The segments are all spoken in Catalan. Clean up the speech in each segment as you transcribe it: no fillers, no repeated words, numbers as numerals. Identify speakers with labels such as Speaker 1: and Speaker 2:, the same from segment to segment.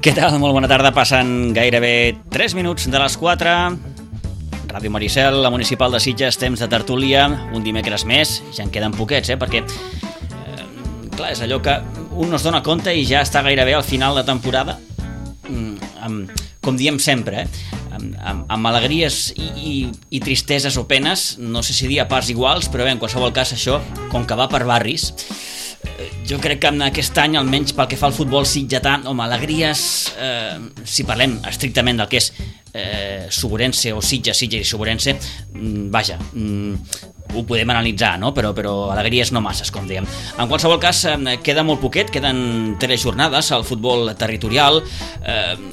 Speaker 1: Què tal? Molt bona tarda. Passen gairebé 3 minuts de les 4. Ràdio Maricel, la Municipal de Sitges, temps de tertúlia, un dimecres més. Ja en queden poquets, perquè clar, és allò que un no es dona compte i ja està gairebé al final de temporada. Com diem sempre, amb alegries i tristeses o penes, no sé si dir a parts iguals, però bé, en qualsevol cas això, com que va per barris, jo crec que en aquest any, almenys pel que fa al futbol sitgetà, alegries, si parlem estrictament del que és Suburense o Sitges i Suburense, vaja, ho podem analitzar, no? Però alegries no masses, com dèiem. En qualsevol cas, queda molt poquet, queden 3 jornades al futbol territorial.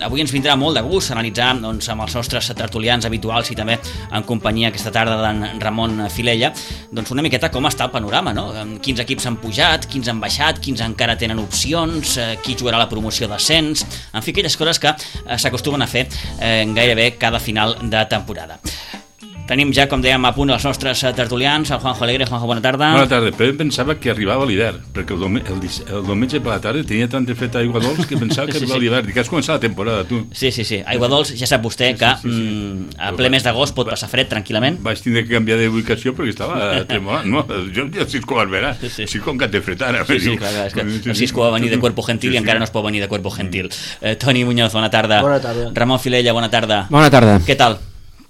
Speaker 1: Avui ens vindrà molt de gust analitzar amb els nostres tertulians habituals i també en companyia aquesta tarda d'en Ramon Filella, una miqueta com està el panorama, no? Quins equips han pujat, quins han baixat, quins encara tenen opcions, qui jugarà la promoció d'ascens, en fi, aquelles coses que s'acostumen a fer gairebé cada final de temporada. Tenim ja, com dèiem, a punt els nostres tertulians, el Juanjo Alegre. Juanjo, bona tarda.
Speaker 2: Bona tarda, però pensava que arribava l'hivern, perquè el diumenge per la tarda tenia tant de fred aigua dolç que pensava que arribava l'hivern. I que has començat la temporada, tu.
Speaker 1: Sí, aigua dolç, ja sap vostè que a ple mes d'agost pot passar fred tranquil·lament.
Speaker 2: Vaig tindre que canviar d'ubicació perquè estava tremolant, no? Jo ja Cisco Barberà, sí, com que té fred ara.
Speaker 1: Sí, clar, és que el Cisco va venir de Cuerpo Gentil i encara no es pot venir de Cuerpo Gentil. Toni Muñoz, bona tarda.
Speaker 3: Bona tarda.
Speaker 1: Ramon Filella, bona tarda.
Speaker 4: Bona tarda.
Speaker 1: Què tal?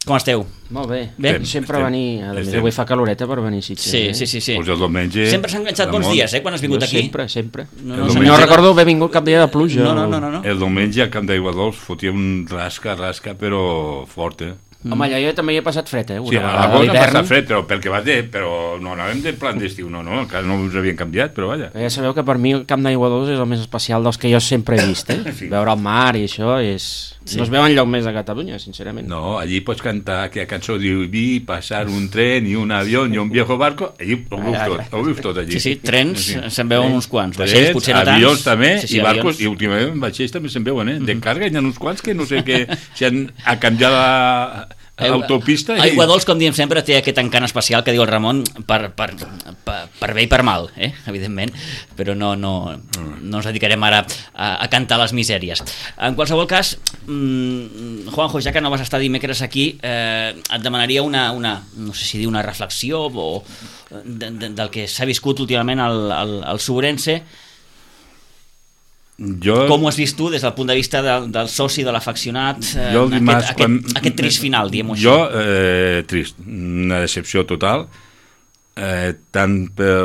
Speaker 1: Com esteu?
Speaker 4: Molt bé.
Speaker 1: Bé?
Speaker 4: Sempre venir... Avui fa caloreta per venir a Sitges.
Speaker 1: Sí.
Speaker 2: Pues el diumenge...
Speaker 1: Sempre s'han enganxat bons dies, quan has vingut aquí.
Speaker 4: Sempre.
Speaker 2: No
Speaker 4: recordo haver vingut cap dia de pluja.
Speaker 1: No.
Speaker 2: El diumenge al Camp d'Aigua Dolç fotia un rasca, però fort,
Speaker 4: Home, allà jo també hi he passat fred,
Speaker 2: Sí, a l'agost ha passat fred, però pel que va dir, però no anàvem de plan d'estiu, no, encara no us havien canviat, però vaja.
Speaker 4: Ja sabeu que per mi el Camp d'Aigua Dolç és el més especial dels que jo sempre he vist,
Speaker 2: Sí.
Speaker 4: Veure el mar i això és... Sí. No es veu enlloc més a Catalunya, sincerament.
Speaker 2: No, allí pots cantar aquella cançó, diu, vi passar un tren i un avió i un viejo barco, allí ho veus tot allí.
Speaker 1: Sí, trens se'n veuen uns quants,
Speaker 2: vaixells potser no tants. Avions també, i barcos,
Speaker 1: avions.
Speaker 2: I últimament vaixells també se'n veuen, de càrrega, hi ha uns quants que no sé què, si han canviat l'autopista...
Speaker 1: Aigua Dolç, com diem sempre, té aquest encant especial que diu el Ramon per bé i per mal, evidentment, però no ens dedicarem ara a cantar les misèries. En qualsevol cas, Juanjo, ja que no vas estar dimecres aquí, et demanaria no sé si dir una reflexió del que s'ha viscut últimament al Suburense. Com ho has vist tu des del punt de vista del soci, de l'afeccionat, aquest trist final, diguem-ho així?
Speaker 2: Jo, trist, una decepció total, tant per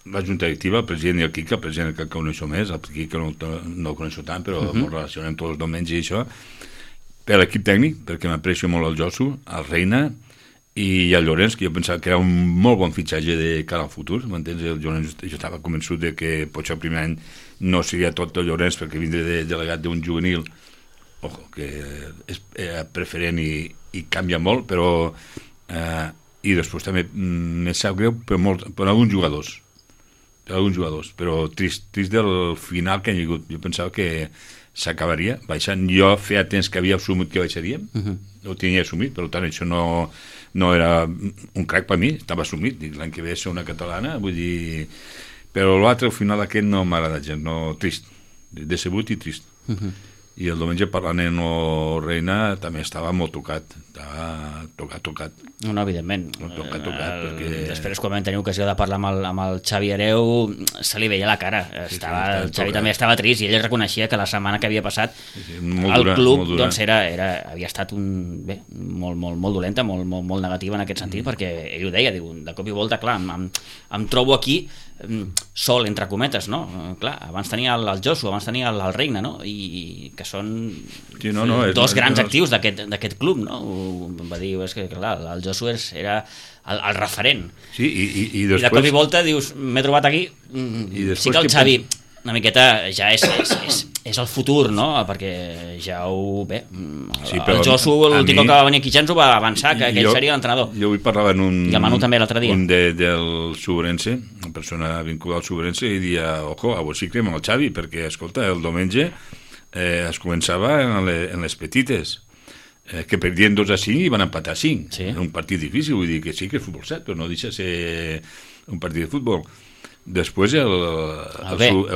Speaker 2: la junta directiva, el president i el Quique, el president que coneixo més, el Quique no el coneixo tant, però ens relacionem tots els diumenges i això, per l'equip tècnic, perquè m'aprecio molt el Josu, el Reina, i el Llorenç, que jo pensava que era un molt bon fitxatge de cara al futur, m'entens? El Llorenç, jo estava convençut de que potser el primer any no seria tot el Llorenç perquè vindré de delegat d'un juvenil, que és preferent i canvia molt, però i després també me sap greu per alguns jugadors, però trist del final que han hagut. Jo pensava que s'acabaria baixant. Jo feia temps que havia assumit que baixaríem, ho tenia assumit, per tant això no era un crac per mi, estava assumit, dic, l'any que ve ser una catalana, vull dir, però l'altre al final aquest no m'ha agradat gens, trist, decebut i trist. I el diumenge parlant amb el Reina també estava molt tocat, estava tocat.
Speaker 1: No, evidentment.
Speaker 2: Tocat, perquè...
Speaker 1: Després, quan vam tenir ocasió de parlar amb el Xavi Hereu, se li veia la cara. El Xavi també estava trist i ell reconeixia que la setmana que havia passat el club havia estat molt dolenta, molt negativa en aquest sentit, perquè ell ho deia, diu, de cop i volta, clar, em trobo aquí sol, entre cometes, no? Clar, abans tenia el Josu, abans tenia el Reina, no? I que són dos grans actius d'aquest club, no? Va dir, és que clar, el Josu era el referent.
Speaker 2: Sí, i després...
Speaker 1: I de cop i volta dius, m'he trobat aquí, sí que el Xavi una miqueta ja és el futur, no? Perquè ja el Josu, l'últim cop que va venir aquí ja ens ho va avançar, que aquell seria l'entrenador.
Speaker 2: Jo avui parlava en un
Speaker 1: també l'altre dia.
Speaker 2: Del Suburense, una persona vinculada al Suburense, i dia, ojo, a vos sí crem el Xavi, perquè, escolta, el diumenge es començava en les petites, que perdien 2-5 i van empatar 5.
Speaker 1: Sí.
Speaker 2: Un partit difícil, vull dir que sí que és futbol 7, però no deixa ser un partit de futbol. Després el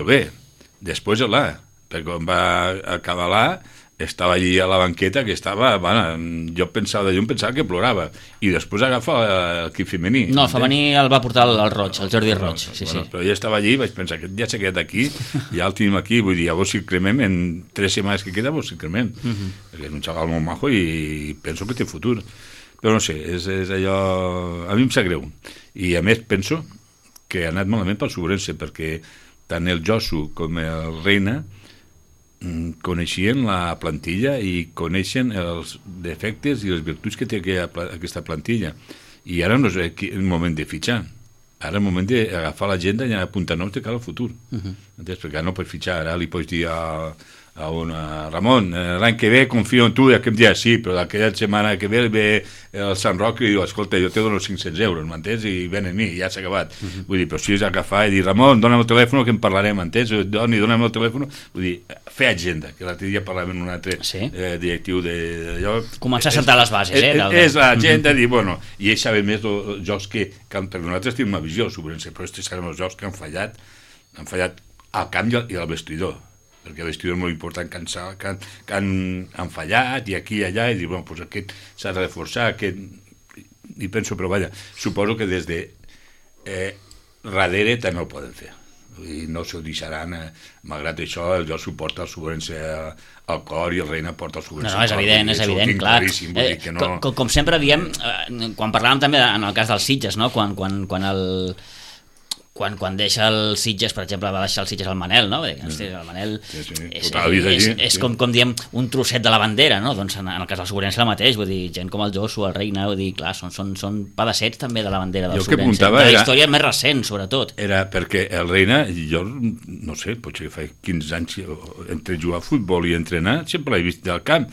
Speaker 2: B, després l'A, perquè quan va acabar estava allí a la banqueta que estava, jo pensava que plorava, i després agafa l'equip femení.
Speaker 1: No, el femení el va portar el Roig, el Jordi Roig, sí.
Speaker 2: Però ja estava allí, vaig pensar que ja s'ha quedat aquí, ja el tenim aquí, vull dir, llavors si el cremem en 3 setmanes que queda, si el cremem, perquè és un xaval molt majo i penso que té futur. Però no sé, és allò... A mi em sap greu. I a més penso que ha anat malament pel Sobrense, perquè tant el Josu com el Reina coneixien la plantilla i coneixen els defectes i les virtuts que té aquesta plantilla, i ara no és el moment de fitxar, ara és el moment d'agafar l'agenda i apuntar noms de cara al futur. Entens? Perquè ara no pots fitxar, ara li pots dir a Ramon, l'any que ve confio en tu, i aquell dia sí, però aquella setmana que ve el Sant Roc i diu, escolta, jo te dono 500 euros, m'entens? I ven a mi, ja s'ha acabat. Vull dir, però si és agafar i dir, Ramon, dona'm el telèfon que en parlarem, m'entens? Dona'm el telèfon, vull dir, fer agenda, que l'altre dia parlàvem amb un altre directiu d'allò.
Speaker 1: Començar a sentar les bases,
Speaker 2: És l'agenda, dir, bueno, i ells saben més els jocs que per nosaltres tenim una visió, Sobrense, però ells saben els jocs que han fallat al camp i al vestidor, perquè el vestidor és molt important, que han fallat i aquí i allà, i dir, bueno, doncs aquest s'ha de reforçar, i penso, però vaja, suposo que des de darrere també ho poden fer, i no s'ho deixaran, malgrat això el Josu porta el Sobrense al cor i el Reina porta el Sobrense al cor.
Speaker 1: No, és evident, clar. Com sempre diem, quan parlàvem també en el cas dels Sitges, no? Quan deixa el Sitges, per exemple, va deixar el Sitges al Manel, no? El Manel és com diem un trosset de la bandera, no? Doncs en el cas del Sobrense el mateix, vull dir, gent com el Josu, el Reina, vull dir, clar, són pedaçets també de la bandera del Sobrense, de la història més recent, sobretot.
Speaker 2: Era perquè el Reina, jo no sé, potser fa 15 anys entre jugar a futbol i entrenar, sempre l'he vist al camp.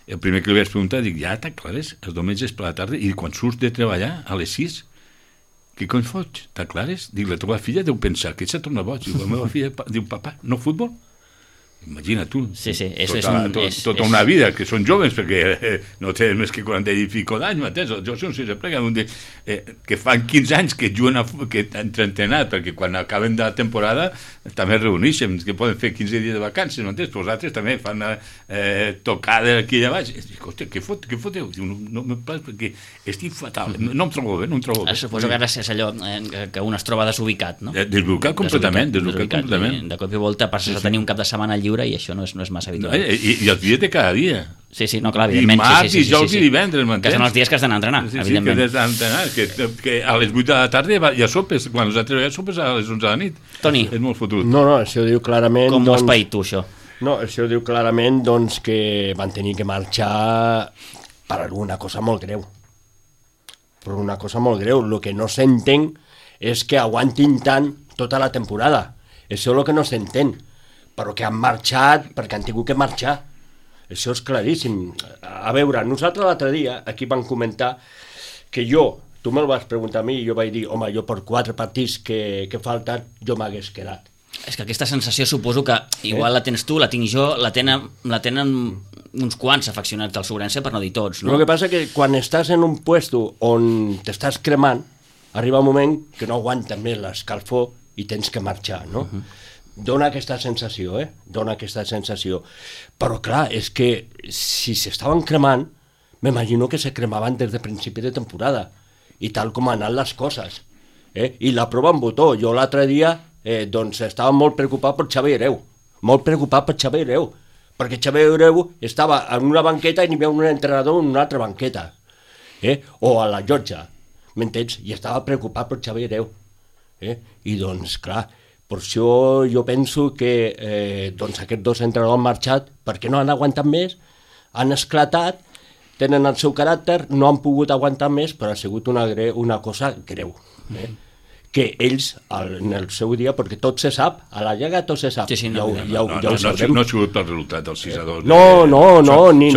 Speaker 2: El primer que li vaig preguntar, dic, ja t'aclares, els diumenges per la tarda, i quan surts de treballar a les 6, què cony fots? T'aclares? Dic, la teva filla deu pensar que s'ha tornat boig. Diu, la meva filla diu, papa, no futbol? Imagina tu, tota una vida, que són joves, perquè no tenen més que 40 i pico d'anys, mateix, jo són si s'aplega, que fan 15 anys que juguen que han entrenat, perquè quan acaben de la temporada també es reuneixen, que poden fer 15 dies de vacances, mateix, però els altres també fan tocades aquí i allà baix. Dic, hòstia, què foteu? Diu, no me passa perquè estic fatal, no em trobo bé,
Speaker 1: Suposo que ara és allò que un es troba desubicat, no?
Speaker 2: Desbocat completament.
Speaker 1: De cop i volta passes a tenir un cap de setmana lliure i això no és massa habitual.
Speaker 2: I els dies de cada dia.
Speaker 1: Sí, no, clar, evidentment.
Speaker 2: Dimarts, dijous i divendres, m'entens?
Speaker 1: Que són els dies que has d'anar a entrenar, evidentment.
Speaker 2: Sí, que has d'anar a entrenar, que a les 8 de la tarda hi ha sopes, quan les altres vegades sopes a les 11 de la nit.
Speaker 1: Toni.
Speaker 2: És molt fotut.
Speaker 3: No, això diu clarament...
Speaker 1: Com ho has paït tu, això?
Speaker 3: No, això diu clarament, doncs, que van tenir que marxar per una cosa molt greu. Per una cosa molt greu. El que no s'entén és que aguantin tant tota la temporada. Això és el que no s'entén. Però que han marxat perquè han tingut que marxar. Això és claríssim. A veure, nosaltres l'altre dia aquí vam comentar que tu me'l vas preguntar a mi i jo vaig dir, home, jo per 4 partits que falten jo m'hagués quedat.
Speaker 1: És que aquesta sensació suposo que igual la tens tu, la tinc jo, la tenen uns quants afeccionats del Sobrense, per no dir tots, no?
Speaker 3: El que passa que quan estàs en un puesto on t'estàs cremant, arriba un moment que no aguanta més l'escalfor i tens que marxar, no? Dona aquesta sensació, dona aquesta sensació. Però clar, és que si s'estaven cremant, m'imagino que se cremaven des de principi de temporada, i tal com han anat les coses. I la prova en botó. Jo l'altre dia doncs estava molt preocupat per Xavi Hereu, perquè Xavi Hereu estava en una banqueta i n'hi havia un entrenador en una altra banqueta, o a la llotja, m'entens? I estava preocupat per Xavi Hereu. I doncs, clar, per això jo penso que doncs aquests 2 entrenadors han marxat perquè no han aguantat més, han esclatat, tenen el seu caràcter, no han pogut aguantar més, però ha sigut una cosa greu. Que ells, en el seu dia, perquè tot se sap, a la llarga tot se sap.
Speaker 2: No ha sigut pel resultat del 6-2.
Speaker 3: No, ni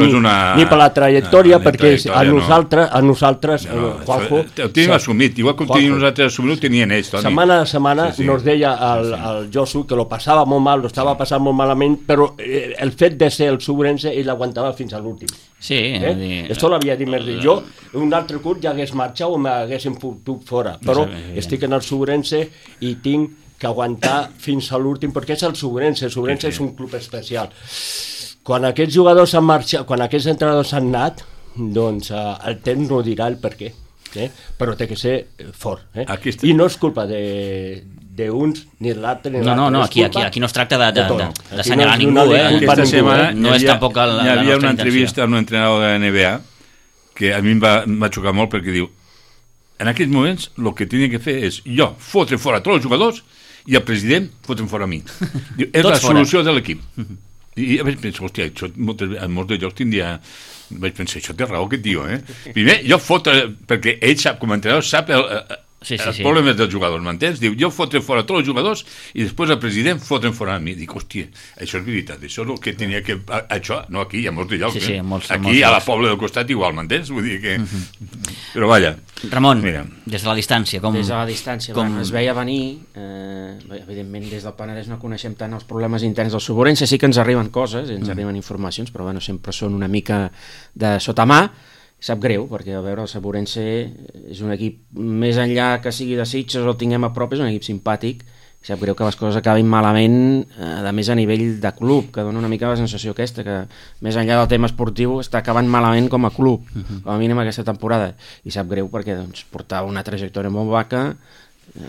Speaker 3: per la trajectòria, perquè a nosaltres, Juanjo...
Speaker 2: Ho tenim assumit, igual com tenim nosaltres assumit, ho tenien ells, Toni.
Speaker 3: Setmana a setmana nos deia el Josu que lo passava molt mal, lo estava passant molt malament, però el fet de ser el Sobrense ell l'aguantava fins a l'últim.
Speaker 1: Sí,
Speaker 3: això l'havia dit més de jo, un altre curt ja hagués marxat o m'haguessin fotut fora, però estic en el Sobrense i tinc que aguantar fins a l'últim, perquè és el Subrense és un club especial. Quan aquests jugadors han marxat, quan aquests entrenadors han anat, doncs el temps no dirà el per què, però té que ser fort. I no és culpa d'uns ni l'altre ni l'altre.
Speaker 1: No, aquí no es tracta d'assenyalar ningú.
Speaker 2: Aquesta setmana
Speaker 1: no és tampoc la
Speaker 2: hi havia una
Speaker 1: nostra
Speaker 2: entrevista amb un entrenador de la NBA que a mi em va xocar molt perquè diu en aquells moments el que tenia que fer és jo fotre fora tots els jugadors i el president fotre'm fora a mi. Diu, és la solució de l'equip. I vaig pensar, hòstia, en molts de llocs tindria... Vaig pensar, això té raó aquest tio, Primer, jo fotre, perquè ell sap, com a entrenador, sap els problemes dels jugadors, m'entens? Diu, jo fotre fora tots els jugadors i després el president fotre'm fora a mi. Dic, hòstia, això és veritat, això és el que tenia que... Això, no aquí, hi ha molts de llocs, aquí a la Pobla del costat igual, m'entens? Vull dir que... Però vaja.
Speaker 1: Ramon, des de la distància, com...
Speaker 4: Des de la distància, es veia venir, evidentment des del Penedès no coneixem tant els problemes interns del Subrense, sí que ens arriben coses, ens arriben informacions, però bueno, sempre són una mica de sotamà. Sap greu, perquè a veure, el Subrense és un equip, més enllà que sigui de Sitges o el tinguem a prop, és un equip simpàtic, sap greu que les coses acabin malament, a més a nivell de club, que dona una mica la sensació aquesta, que més enllà del tema esportiu està acabant malament com a club, com a mínim aquesta temporada, i sap greu perquè doncs, portava una trajectòria molt vaca,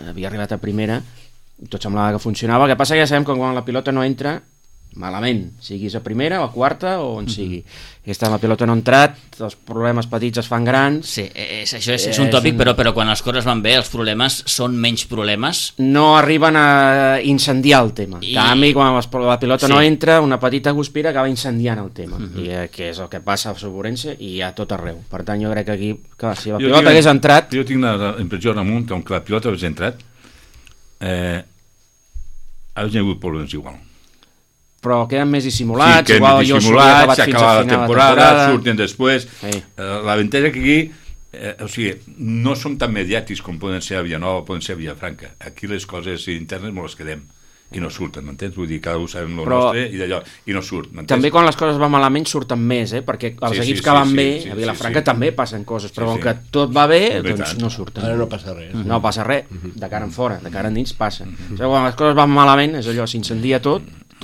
Speaker 4: havia arribat a primera, i tot semblava que funcionava. El que passa que ja sabem que quan la pilota no entra, malament, siguis a primera o a quarta o on sigui. Aquesta la pilota no ha entrat, els problemes petits es fan grans.
Speaker 1: Sí, això és un tòpic, però quan les coses van bé, els problemes són menys problemes.
Speaker 4: No arriben a incendiar el tema. En canvi, quan la pilota no entra, una petita guspira acaba incendiant el tema. I que és el que passa a Subrense i a tot arreu. Per tant, jo crec que aquí, si la pilota hagués entrat...
Speaker 2: Jo tinc la impressió, Ramon, que la pilota hagués entrat, hagués hagut problemes igual.
Speaker 4: Però queden més dissimulats,
Speaker 2: sí,
Speaker 4: igual jo
Speaker 2: s'acaba la temporada, surten després. L'avantatge que aquí, o sigui, no som tan mediàtics com poden ser a Villanova o poden ser a Vilafranca. Aquí les coses internes no les quedem i no surten, m'entens? Vull dir, cada un sabem el nostre i d'allò, i no surt, m'entens?
Speaker 4: També quan les coses van malament surten més, perquè els equips que van bé, a Vilafranca també passen coses, però com que tot va bé, doncs no surten.
Speaker 3: Ara no passa res.
Speaker 4: No passa res, de cara en fora, de cara endins passa. Quan les coses van malament, és allò, s'incendia tot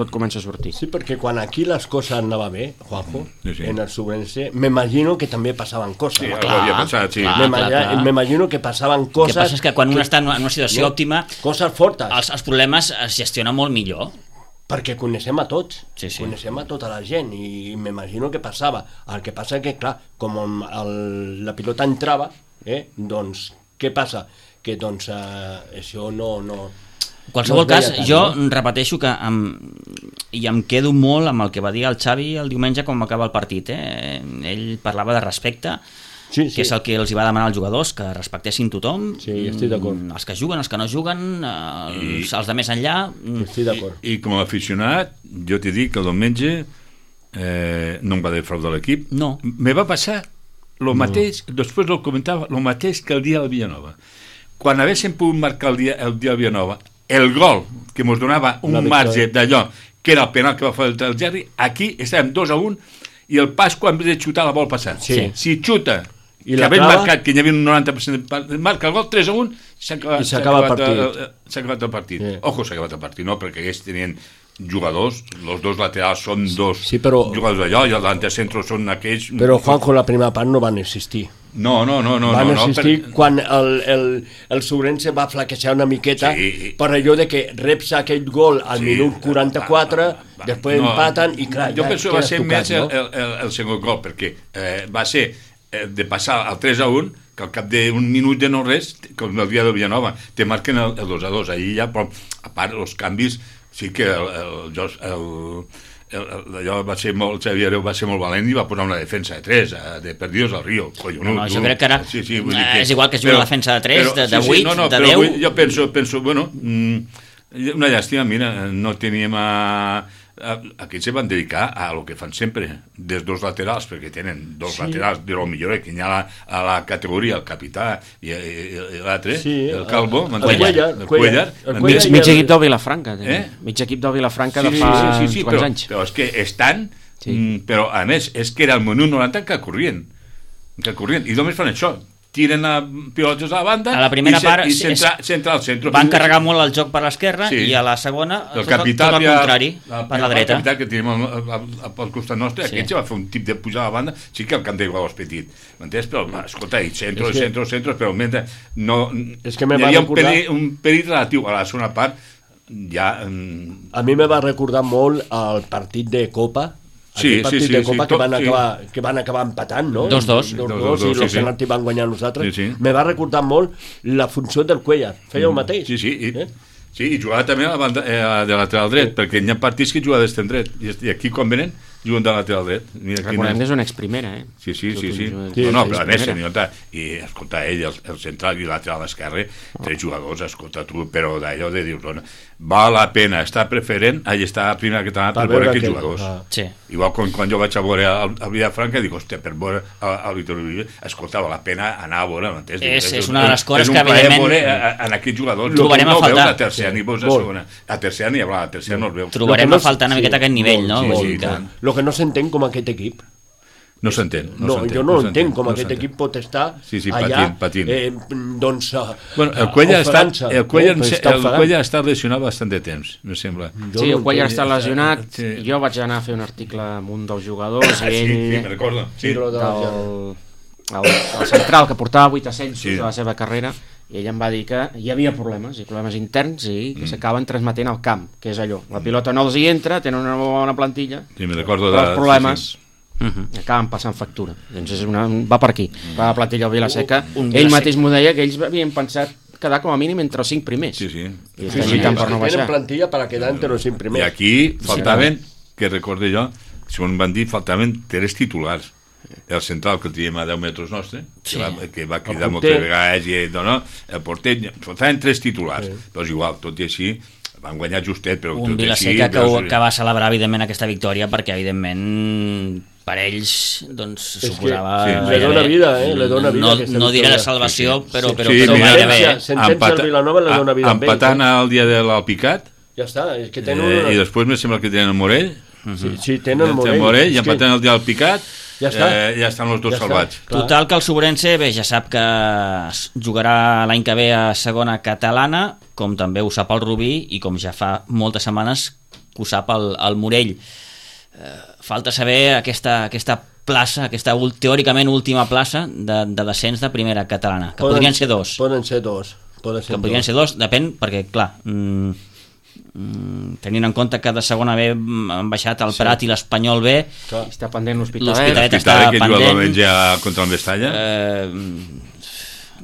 Speaker 4: comença a sortir.
Speaker 3: Sí, perquè quan aquí les coses anaven bé, Juanjo, en el Subrense, m'imagino que també passaven coses.
Speaker 2: Sí, havia passat, sí.
Speaker 3: M'imagino que passaven coses...
Speaker 1: El que passa és que quan un està en una situació òptima,
Speaker 3: coses fortes.
Speaker 1: Els problemes es gestionen molt millor.
Speaker 3: Perquè coneixem a tots, coneixem a tota la gent i m'imagino que passava. El que passa que, clar, com la pilota entrava, doncs, què passa? Que, doncs, això no...
Speaker 1: En qualsevol cas, jo repeteixo que em quedo molt amb el que va dir el Xavi el diumenge quan acaba el partit. Ell parlava de respecte, que és el que els hi va demanar als jugadors, que respectessin tothom,
Speaker 3: estic d'acord.
Speaker 1: Els que juguen, els que no juguen, els de més enllà.
Speaker 3: Estic d'acord.
Speaker 2: I com a aficionat, jo t'he dit que el diumenge no em va defraudar l'equip.
Speaker 1: No.
Speaker 2: Me va passar el mateix, després el comentava, el mateix que el dia del Villanova. Quan haguéssim pogut marcar el dia del Villanova, el gol que ens donava un marge d'allò que era el penal que va fer el Gerri, aquí estàvem 2-1 i el pas quan ve de xutar la vol passar. Si xuta i que havent marcat que hi havia un 90% marca el gol 3-1 s'ha acabat el partit. Ojo, s'ha acabat el partit, no, perquè ells tenien jugadors, els dos laterals són dos jugadors d'allò i els l'antecentro són aquells...
Speaker 3: Però Juanjo, la primera part no van existir.
Speaker 2: No.
Speaker 3: Van existir quan el Subrense va flaquejar una miqueta per allò de que reps aquell gol al minut 44, després empaten i clar,
Speaker 2: jo penso que va ser més el segon gol, perquè va ser de passar al 3-1 que al cap d'un minut de no res, com el dia del Villanova, te marquen el 2-2 ahir ja, però a part els canvis sí que allò va ser molt, Xavier va ser molt valent i va posar una defensa de 3 de perdidos al Rio, collonut.
Speaker 1: No, jo crec que ara és igual que es juga una defensa de 3, de 8, de 10.
Speaker 2: Jo penso, bueno, una llàstima, mira, no teníem aquí se van dedicar a lo que fan sempre, dels dos laterals, perquè tenen dos laterals de lo millor que hi ha a la categoria, el capità i l'altre, el Calvo,
Speaker 3: el Cuellar.
Speaker 4: Mig equip del Vilafranca, mig equip del Vilafranca de fa uns quants anys.
Speaker 2: Però és que estan, però a més, és que era el minut 90 que corrien, i només fan això. tiren a pilotes a la banda
Speaker 1: a la primera part
Speaker 2: centra al centre.
Speaker 1: Van carregar molt el joc per l'esquerra i a la segona tot al contrari, per la dreta.
Speaker 2: El capità que tenim al costat nostre, aquest ja va fer un tip de pujar a la banda, sí que el camp d'aigua és petit, m'entens? Però, escolta, centro, però mentre no... Hi havia un perill relatiu a la segona part, ja...
Speaker 3: A mi me va recordar molt el partit de Copa, de Copa que van acabar empatant, no?
Speaker 1: 2-2.
Speaker 3: 2-2 i els penaltis van guanyar nosaltres. Me va recordar molt la funció del Cuellar, feia el mateix.
Speaker 2: Sí, i jugava també a la banda de lateral dret, perquè hi ha partits que jugava d'extrem dret, i aquí quan venen juguen de lateral dret.
Speaker 4: Recordem que és una exprimera,
Speaker 2: Sí. No, però a més, senyora, i escolta, ell, el central i lateral esquerre, 3 jugadors, escolta tu, però d'allò de dir, val la pena estar preferent allà estar a primera catalana per veure aquests jugadors. Igual quan jo vaig a veure a Vilafranca, dic, hòstia, per veure a Víctor Uribe, escolta, val la pena anar a veure, m'entens?
Speaker 1: És una de les coses que, evidentment...
Speaker 2: En aquests jugadors,
Speaker 1: trobarem a faltar.
Speaker 2: A tercera ni veus a segona. A tercera ni haurà, a tercera no els veus.
Speaker 1: Trobarem a faltar una miqueta aquest nivell, no?
Speaker 3: El que no s'entén com aquest equip.
Speaker 2: No s'entén.
Speaker 3: Jo no entenc com aquest equip pot estar allà
Speaker 2: patint.
Speaker 3: Doncs
Speaker 2: el Cuellar està lesionat bastant de temps, me sembla.
Speaker 4: Sí, el Cuellar està lesionat. Jo vaig anar a fer un article amb un dels jugadors i ell...
Speaker 2: Sí, me recordo.
Speaker 4: El central que portava 8 ascensos a la seva carrera, i ell em va dir que hi havia problemes interns i que s'acaben transmetent al camp, que és allò, la pilota no els hi entra, tenen una bona plantilla, però els problemes acaben passant factura. Doncs va per aquí, va a la plantilla al Vilaseca. Ell mateix m'ho deia que ells havien pensat quedar com a mínim entre els 5 primers.
Speaker 2: I
Speaker 3: estan lluitant per no baixar. Tenen plantilla per quedar entre els 5 primers.
Speaker 2: I aquí faltaven, que recorde jo, segons van dir, faltaven 3 titulars. El central que teníem a 10 metres nostre, que va cridar moltes vegades, el porter, faltaven 3 titulars, però és igual, tot i així van guanyar justet, però
Speaker 1: un Vilaseca que va celebrar evidentment aquesta victòria perquè evidentment per ells doncs suposava
Speaker 3: le dona vida, le dona vida,
Speaker 1: no diré la salvació però gairebé
Speaker 3: sentència al Vilanova le dona vida
Speaker 2: empatant el dia de l'Alpicat
Speaker 3: ja està, és que tenen
Speaker 2: i després me sembla que tenen el Morell
Speaker 3: tenen el Morell
Speaker 2: i empatant el dia del Picat ja estan els dos salvats.
Speaker 1: Total que el Sobrense ja sap que jugarà l'any que ve a segona catalana, com també ho sap el Rubí i com ja fa moltes setmanes que ho sap el Morell. Falta saber aquesta plaça, aquesta teòricament última plaça de descens de primera catalana, que podrien ser dos.
Speaker 3: Poden ser dos.
Speaker 1: Podrien ser dos, depèn, perquè clar... tenint en compte que de segona B han baixat el Prat i l'Espanyol B,
Speaker 4: està pendent l'Hospitalet
Speaker 2: està pendent, que juga el diumenge contra el Mestalla,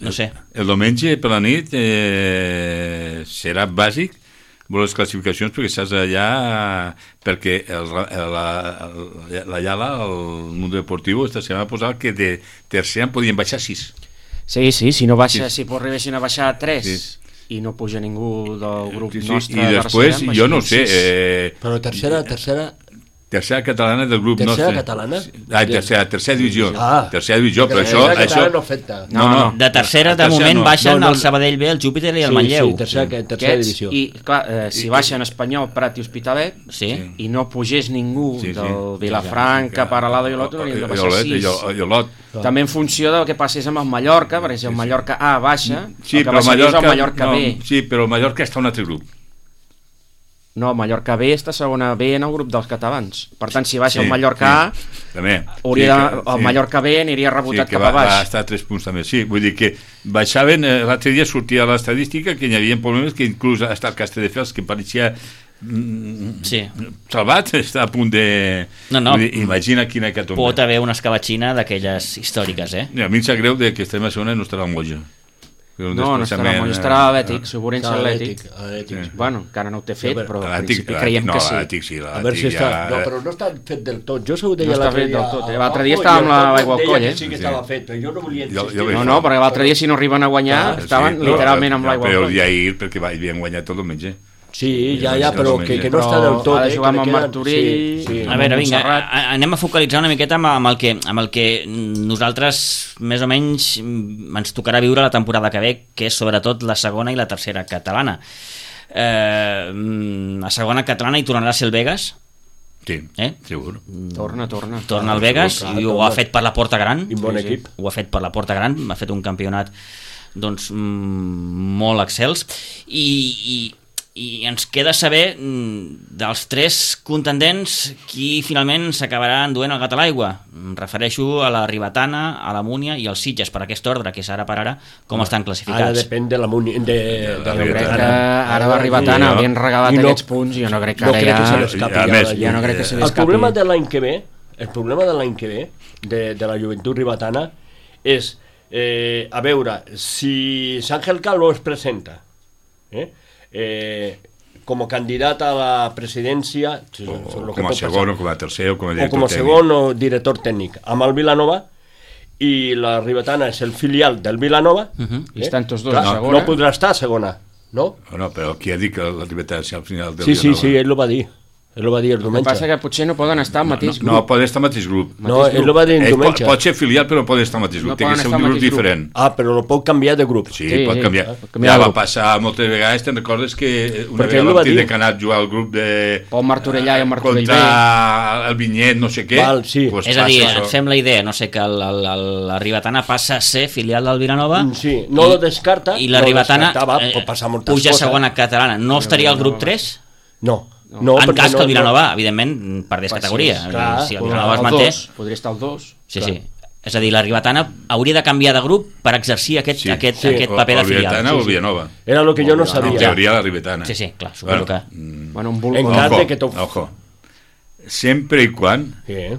Speaker 1: no sé,
Speaker 2: el diumenge per la nit serà bàsic veure les classificacions perquè estàs allà perquè la Llala, el Mundo Deportivo esta setmana posava que de tercera en podien baixar 6.
Speaker 4: Sí, si no baixa, si arribessin a baixar 3 i no puja ningú del grup nostre
Speaker 2: i després, jo no sé
Speaker 3: però
Speaker 2: tercera catalana del grup nostre. Tercera divisió. Tercera divisió, però això
Speaker 3: no afecta.
Speaker 1: No. De tercera de moment baixen el Sabadell B, el Júpiter i el Manlleu.
Speaker 3: Tercera divisió.
Speaker 4: I clar, si baixen Espanyol, Prat i Hospitalet i no pugés ningú del Vilafranca, Paralada i Olot, haurien de baixar 6. També en funció del que passés amb el Mallorca, perquè si el Mallorca A baixa, el que baixaria és el Mallorca B.
Speaker 2: Sí, però el Mallorca està un altre grup.
Speaker 4: No, el Mallorca B està segona B en el grup dels catalans. Per tant, si baixa el Mallorca A, el Mallorca B aniria rebotat cap a baix.
Speaker 2: Va estar a 3 punts també. Sí, vull dir que baixaven, l'altre dia sortia a l'estadística que hi havia problemes, que inclús hasta el Castelldefels, que pareixia salvat, està a punt de... Imagina quina hecatombe.
Speaker 1: Pot haver una escabatxina d'aquelles històriques,
Speaker 2: A mi em sap greu que estem a segona i no estarà el Moja.
Speaker 4: No estarà molt, estarà a l'Atlètic, Sobrense Atlètic. Bueno, encara no ho té fet, però en principi creiem que sí.
Speaker 2: L'Atlètic sí,
Speaker 3: a veure si està... No, però no està fet del tot. Jo s'ho deia l'altre dia.
Speaker 4: L'altre dia estava amb l'aigua al coll,
Speaker 3: Sí que estava fet, però jo no volia insistir.
Speaker 4: No, perquè l'altre dia si no arriben a guanyar estaven literalment amb l'aigua al coll.
Speaker 2: Però el dia ahir perquè havien guanyat tot el diumenge.
Speaker 3: Sí, però que no està del tot.
Speaker 4: Ha de jugar amb el Martorell.
Speaker 1: A veure, vinga, anem a focalitzar una miqueta amb el que nosaltres més o menys ens tocarà viure la temporada que ve, que és sobretot la segona i la tercera catalana. A segona catalana hi tornarà a ser el Vegas,
Speaker 2: Sí, segur.
Speaker 4: Torna.
Speaker 1: Torna al Vegas i ho ha fet per la porta gran.
Speaker 3: I bon equip.
Speaker 1: Ho ha fet per la porta gran, ha fet un campionat doncs molt excels i ens queda saber dels 3 contendents qui finalment s'acabarà enduent el gat a l'aigua. Em refereixo a la Ribetana, a la Múnia i als Sitges, per aquest ordre, que és ara per ara com estan classificats.
Speaker 3: Ara depèn de la Múnia.
Speaker 4: Jo crec que ara va Ribetana, havien regalat aquests punts i jo no crec que ara ja...
Speaker 3: Jo
Speaker 4: no crec que se li
Speaker 3: el
Speaker 4: escapi.
Speaker 3: problema de l'any que ve, de la Joventut Ribetana, és a veure, si Ángel Calvo es presenta com a candidat a la presidència
Speaker 2: o com a segon o com a tercer o com a director tècnic,
Speaker 3: segon o director tècnic amb el Vilanova, i la Ribetana és el filial del Vilanova,
Speaker 4: i estan tots dos a segona.
Speaker 3: no podrà estar a segona, no?
Speaker 2: No, però qui ha dit que la Ribetana és al final del Vilanova?
Speaker 3: Sí, ell ho va dir. Ell ho va dir el diumenge.
Speaker 4: El que passa que potser no poden estar al mateix grup.
Speaker 2: No, poden estar al mateix grup.
Speaker 3: No, ell ho va dir el diumenge.
Speaker 2: Pot ser filial, però no poden estar al mateix grup. Té que ser un grup diferent.
Speaker 3: Però no pot canviar de grup.
Speaker 2: Sí, pot canviar. Ja va passar moltes vegades, te'n recordes que una vegada vam tindre que anar a jugar al grup de...
Speaker 4: Pol Martorellà i el Martorell B.
Speaker 2: Contra el Vinyet, no sé què.
Speaker 1: És a dir, ens fem la idea, no sé, que la Ribetana passa a ser filial del Vilanova.
Speaker 3: Sí, no lo descarta.
Speaker 1: I la Ribetana puja a
Speaker 3: coses.
Speaker 1: segona catalana. No estaria al grup 3?
Speaker 3: No.
Speaker 1: En cas que el Vilanova, evidentment, perdés categoria. Si el Vilanova es manté...
Speaker 4: Podria estar el 2.
Speaker 1: Sí. És a dir, la Ribetana hauria de canviar de grup per exercir aquest paper de filial.
Speaker 2: O Ribetana o Vilanova.
Speaker 3: Era lo que jo no sabia.
Speaker 2: En teoria la Ribetana.
Speaker 1: Sí, clar, suposo que...
Speaker 3: En cas de que...
Speaker 2: Ojo. Sempre i quan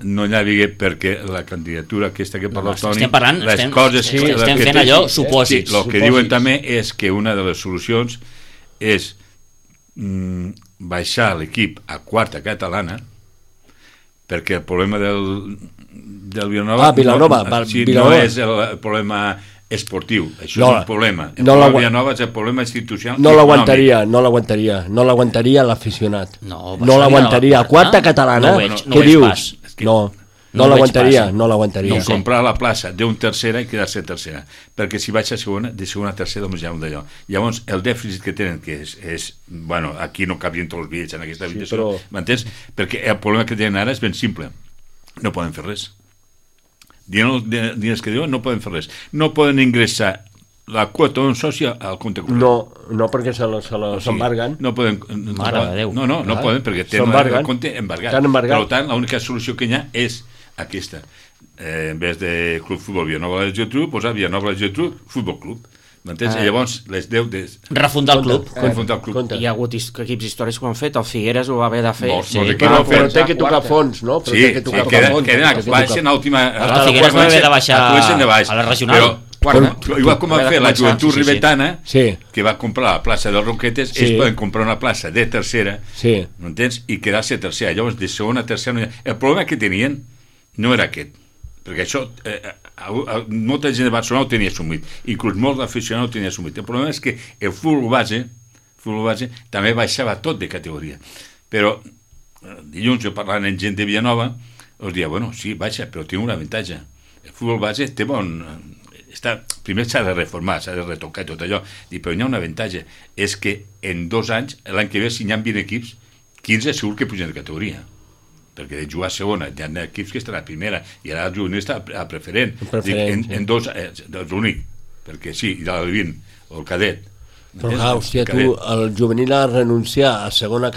Speaker 2: no hi hagi, perquè la candidatura aquesta que parla el Toni,
Speaker 1: estem fent allò supòsits.
Speaker 2: El que diuen també és que una de les solucions és baixar l'equip a quarta catalana, perquè el problema del Vilanova no és el problema esportiu, això és un problema. El problema del Vilanova és el problema institucional.
Speaker 3: No l'aguantaria l'aficionat. No l'aguantaria. A quarta catalana, què dius? No l'aguantaria.
Speaker 2: No comprar la plaça d'un tercera i quedar-se tercera, perquè si vaig a segona, de segona a tercera doncs ja d'allò. Llavors el dèficit que tenen, que és bueno, aquí no cabien tots els bitllets en aquesta habitació, m'entens? Perquè el problema que tenen ara és ben simple, no poden fer res. Dient els diners que diuen, no poden fer res, no poden ingressar la quota d'un soci al compte corrent.
Speaker 3: No, perquè s'embarguen.
Speaker 2: No poden. No poden, perquè tenen el compte embargat. Per tant, l'única solució que hi ha és aquesta. En vez de Club Futbol Vilanova de Geltrú, posar Vilanova de Geltrú Futbol Club. M'entens? Llavors, les 10 de...
Speaker 1: Refundar el club.
Speaker 4: Hi ha hagut equips històrics que ho han fet, el Figueres ho va haver de fer.
Speaker 3: Però té que tocar fons, no?
Speaker 2: Sí, queden baixen a l'última...
Speaker 1: El Figueres va haver de baixar a la regional.
Speaker 2: Igual com va fer la Joventut Ribetana, que va comprar la plaça dels Roquetes, ells poden comprar una plaça de tercera, m'entens? I quedar-se tercera. Llavors, de segona a tercera... El problema que tenien no era aquest, perquè això molta gent de Barcelona ho tenia assumit, inclús molts aficionats ho tenia assumit. El problema és que el futbol base també baixava tot de categoria, però dilluns jo parlant amb gent de Vilanova els deia, bueno, sí, baixa, però té un avantatge, el futbol base té primer s'ha de reformar, s'ha de retocar tot allò, però hi ha un avantatge, és que en 2 anys, l'any que ve, si hi ha 20 equips, 15 segur que pugen de categoria, perquè de jugar a segona hi ha equips que estan a primera i ara el juvenil està a preferent. En 2 és l'únic, perquè sí, i de l'Alvin o el cadet.
Speaker 3: Però clar, hòstia, tu, el juvenil ha renunciat a segona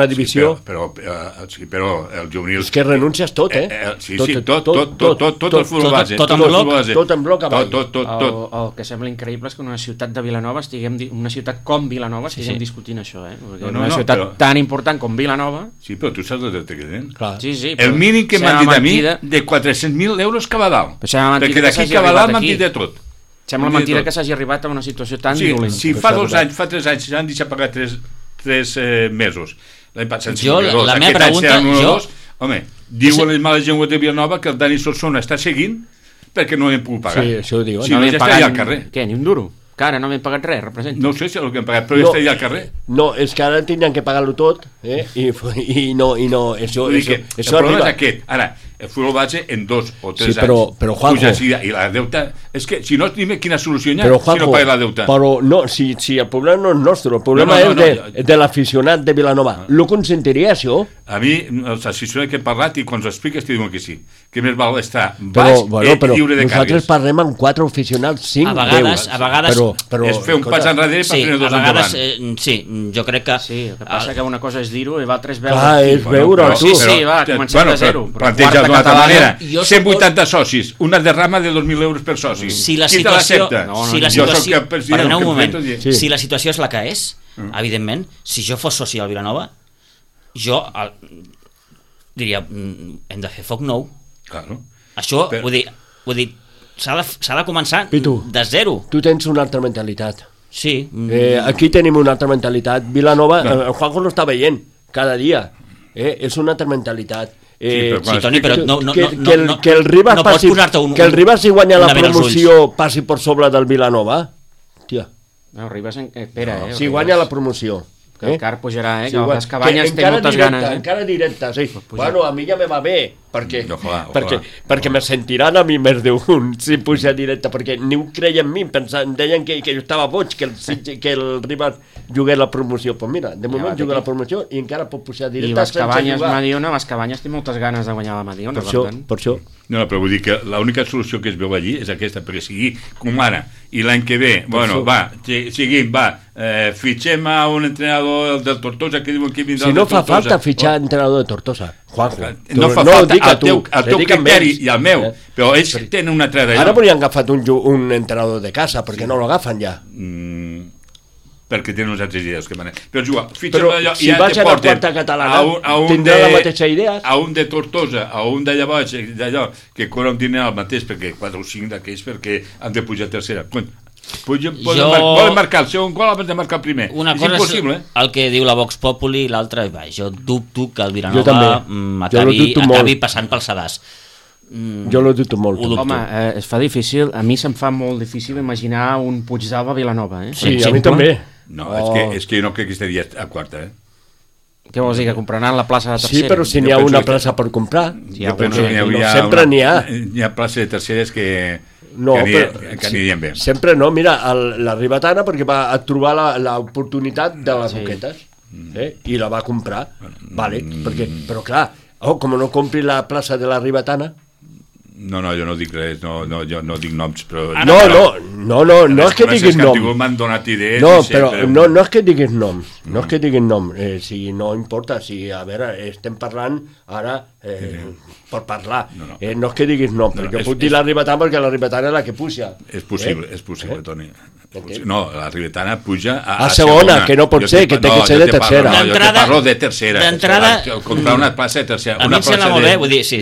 Speaker 3: divisió.
Speaker 2: Però el juvenil...
Speaker 3: És que renuncies tot,
Speaker 2: Sí, tot el futbol base.
Speaker 1: Tot
Speaker 3: en bloc avall.
Speaker 4: El que sembla increïble és que en una ciutat de Vilanova una ciutat com Vilanova estiguem discutint això, perquè una ciutat tan important com Vilanova...
Speaker 2: Sí, però tu saps el que tenen.
Speaker 4: El
Speaker 2: mínim que m'han dit a mi de 400.000 euros cap a dalt, perquè d'aquí cap a dalt m'han dit de tot.
Speaker 4: Sembla mentida que s'hagi arribat a una situació tan dolenta.
Speaker 2: Sí, fa 2 anys, fa 3 anys, s'han deixat pagar 3 mesos. L'any passat,
Speaker 1: la meva pregunta...
Speaker 2: Home, diuen les males llengües de Vilanova que el Dani Solsona està seguint perquè no hem pogut pagar.
Speaker 3: Sí, això ho diuen.
Speaker 2: Si no, ja estaria al carrer.
Speaker 4: Què, ni un duro? Que ara no m'hem pagat res, representa.
Speaker 2: No sé si el que hem pagat, però ja estaria al carrer.
Speaker 3: No, és que ara tindran que pagar-lo tot, i no, això
Speaker 2: el problema és aquest. Ara, el futbol base en 2 o 3
Speaker 3: Sí, però, Juanjo...
Speaker 2: puja així, i la deuta... És que, si no, dime quina solució hi ha,
Speaker 3: Però,
Speaker 2: si no
Speaker 3: Juanjo,
Speaker 2: paga la deuta.
Speaker 3: però no, si el problema no és nostre, el problema és de l'aficionat de Vilanova. Lo consentiria, això?
Speaker 2: A mi, els aficionats que he parlat, i quan ho expliques, t'hi diuen que sí. Que més val estar
Speaker 3: Però,
Speaker 2: baix
Speaker 3: però
Speaker 2: lliure de
Speaker 3: nosaltres
Speaker 2: càrregues.
Speaker 3: parlem amb 4 aficionats, 5, 10.
Speaker 1: A vegades
Speaker 3: però,
Speaker 2: És fer un pas enrere per
Speaker 1: sí,
Speaker 2: fer
Speaker 1: a
Speaker 2: dos
Speaker 1: vegades,
Speaker 2: endavant.
Speaker 1: sí, jo crec que...
Speaker 4: Sí, el que passa que una cosa és dir-ho i l'altra és veure...
Speaker 3: Clar, és veure,
Speaker 2: però-
Speaker 3: tu.
Speaker 4: Sí, va, comencem de zero. Però
Speaker 2: Planteja
Speaker 4: quarta
Speaker 2: d'una altra
Speaker 4: catalana-
Speaker 2: manera.
Speaker 1: Jo
Speaker 2: 180 socis, una derrama de 2.000 euros per soci.
Speaker 1: Si la
Speaker 2: Qui te
Speaker 1: situació,
Speaker 2: l'accepta?
Speaker 1: si la
Speaker 2: Jo soc
Speaker 1: situació,
Speaker 2: el president
Speaker 1: perdoneu un
Speaker 2: del
Speaker 1: moment,
Speaker 2: Conflicto,
Speaker 3: Sí.
Speaker 1: si la situació és la que és, evidentment, si jo fos soci al Vilanova, jo diria, hem de fer foc nou.
Speaker 2: Claro.
Speaker 1: Això,
Speaker 2: Però-
Speaker 1: vull dir, s'ha de començar
Speaker 3: Pitu.
Speaker 1: de zero.
Speaker 3: Tu tens una altra mentalitat.
Speaker 1: Sí.
Speaker 3: Aquí tenim una altra mentalitat. Vilanova, el Juanjo l'està veient cada dia. És una altra mentalitat.
Speaker 2: però quan
Speaker 1: Sí, Toni, però no,
Speaker 3: que el Ribas
Speaker 1: no pots
Speaker 3: passi,
Speaker 1: posar-te un...
Speaker 3: que el Ribas, si guanya la
Speaker 1: una vena als
Speaker 3: promoció, passi per sobre del Vilanova. Tia,
Speaker 4: No, Ribas, espera,
Speaker 3: si guanya la promoció.
Speaker 4: Que encara pujarà,
Speaker 3: Si
Speaker 4: que
Speaker 3: guanya-
Speaker 4: les cabanyes
Speaker 3: que
Speaker 4: té
Speaker 3: encara
Speaker 4: moltes
Speaker 3: directe,
Speaker 4: ganes.
Speaker 3: Encara directe, sí. Bueno, a mi ja me va bé, perquè,
Speaker 2: Ojalà.
Speaker 3: perquè me sentiran a mi més d'un si puja directe, perquè ni ho creien en mi, deien que jo estava boig, que el Ribas jugués la promoció. Pues mira, de moment juga la promoció i encara pot pujar
Speaker 4: I
Speaker 3: directe
Speaker 4: les
Speaker 3: sense
Speaker 4: cabanyes
Speaker 3: jugar.
Speaker 4: Mediona, les cabanyes té moltes ganes de guanyar la Mediona,
Speaker 3: Per això.
Speaker 2: No, però vull dir que l'única solució que es veu allí és aquesta, perquè sigui com ara, i l'any que ve, bueno, va, seguim, va, fitxem a un entrenador el del Tortosa, que diuen que vindrà
Speaker 3: Si
Speaker 2: el
Speaker 3: no
Speaker 2: del
Speaker 3: fa
Speaker 2: Tortosa.
Speaker 3: falta fitxar entrenador de Tortosa, Juanjo.
Speaker 2: No fa
Speaker 3: ho
Speaker 2: falta
Speaker 3: dic a
Speaker 2: el teu
Speaker 3: dedica amb
Speaker 2: criteri
Speaker 3: ells.
Speaker 2: i el meu, però ells tenen una altra d'allò.
Speaker 3: Ara podrien agafat un entrenador de casa, perquè no l'agafen ja.
Speaker 2: Perquè tenen unes altres idees que manen. Però juga, fitxem
Speaker 3: Però
Speaker 2: allò
Speaker 3: si
Speaker 2: i ja
Speaker 3: vaig
Speaker 2: te
Speaker 3: a la
Speaker 2: porten
Speaker 3: quarta catalana,
Speaker 2: a un
Speaker 3: tindrà la mateixa idea.
Speaker 2: a un de Tortosa, a un d'allà baix, d'allò, que cobra un diner al mateix, perquè 4 o 5 d'aquells, perquè han de pujar a tercera. Volen marcar el segon gol abans de marcar el primer.
Speaker 1: Una
Speaker 2: És
Speaker 1: cosa
Speaker 2: impossible,
Speaker 1: és el que diu la Vox Populi i l'altra, jo dubto que el
Speaker 3: Jo
Speaker 1: Vilanova
Speaker 3: també. Jo lo dubto molt.
Speaker 1: acabi passant pel sedàs.
Speaker 3: Jo lo dubto molt.
Speaker 1: Ho dubto.
Speaker 4: Home, es fa difícil, a mi se'm fa molt difícil imaginar un Puigdàlber a Vilanova, eh?
Speaker 3: Sí, a mi també.
Speaker 2: No,
Speaker 3: Oh.
Speaker 2: és que jo no crec que estaria a quarta,
Speaker 4: Què vols dir, que compraran la plaça de tercera?
Speaker 3: Sí, però si n'hi ha
Speaker 2: Jo penso
Speaker 3: una
Speaker 2: que-
Speaker 3: plaça per comprar.
Speaker 4: hi ha
Speaker 2: Jo penso
Speaker 4: alguna-
Speaker 2: que n'hi hauria
Speaker 3: sempre n'hi ha.
Speaker 2: Hi ha places de terceres que
Speaker 3: No,
Speaker 2: que anirien bé.
Speaker 3: Sempre no, mira, la Ribetana perquè va a trobar l'oportunitat de les boquetes i la va comprar, vale, però clar, com no compri la plaça de la Ribetana.
Speaker 2: No, jo no dic res, jo no dic noms, però...
Speaker 3: No és que diguis nom.
Speaker 2: M'han donat idees...
Speaker 3: No,
Speaker 2: i sé,
Speaker 3: però no és que diguis nom, no és que diguis nom, si no importa, si, a veure, estem parlant ara per parlar, no és que diguis nom, però jo puc dir la Ribetana perquè la Ribetana és la que puja.
Speaker 2: És possible, Toni. No, la Ribetana puja
Speaker 3: a segona, que no pot ser, que té que ser de tercera.
Speaker 2: No, jo te parlo de tercera.
Speaker 1: D'entrada,
Speaker 2: comprar una plaça de tercera.
Speaker 1: A mi em sembla molt bé, vull dir, sí,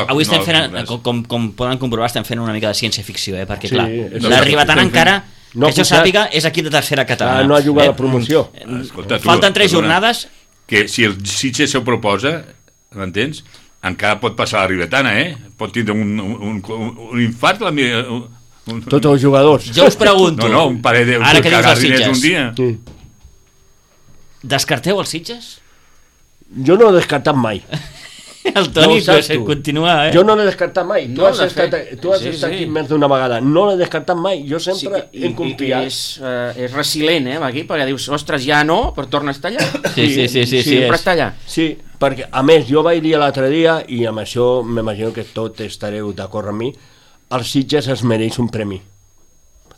Speaker 1: avui estem fent,
Speaker 2: res.
Speaker 1: com poden comprovar, estem fent una mica de ciència-ficció, perquè
Speaker 3: Sí,
Speaker 1: clar,
Speaker 3: és
Speaker 1: la Ribetana encara,
Speaker 3: No
Speaker 1: que
Speaker 3: ha
Speaker 1: això
Speaker 3: posat-
Speaker 1: sàpiga, és equip de tercera catalana.
Speaker 3: No ha jugat la promoció.
Speaker 2: Escolta, tu,
Speaker 1: Falten 3
Speaker 2: perdona,
Speaker 1: jornades.
Speaker 2: Que si el Sitges s'ho proposa, m'entens? Encara pot passar a la Ribetana, Pot tindre un infart,
Speaker 3: Tots els jugadors.
Speaker 1: Jo us pregunto,
Speaker 2: No, un parell de
Speaker 1: ara que dius
Speaker 2: cagar
Speaker 1: els
Speaker 2: diners un
Speaker 1: Sitges,
Speaker 2: dia.
Speaker 3: Sí.
Speaker 1: descarteu els Sitges?
Speaker 3: Jo no l'he descartat mai.
Speaker 1: El Toni
Speaker 3: No ho saps, tu.
Speaker 1: continua,
Speaker 3: Jo no l'he descartat mai. Tu
Speaker 4: No,
Speaker 3: has
Speaker 4: de
Speaker 3: estat,
Speaker 4: fet,
Speaker 3: tu has
Speaker 4: sí,
Speaker 3: estat
Speaker 4: sí.
Speaker 3: aquí més d'una vegada. No l'he descartat mai. Jo sempre he confiat.
Speaker 4: És resilient, l'equip, perquè dius, ostres, ja no, però torna a estar allà.
Speaker 1: Sí,
Speaker 4: Sempre està allà.
Speaker 3: Sí, perquè a més jo vaig dir l'altre dia, i amb això m'imagino que tots estareu d'acord amb mi, el Sitges es mereix un premi.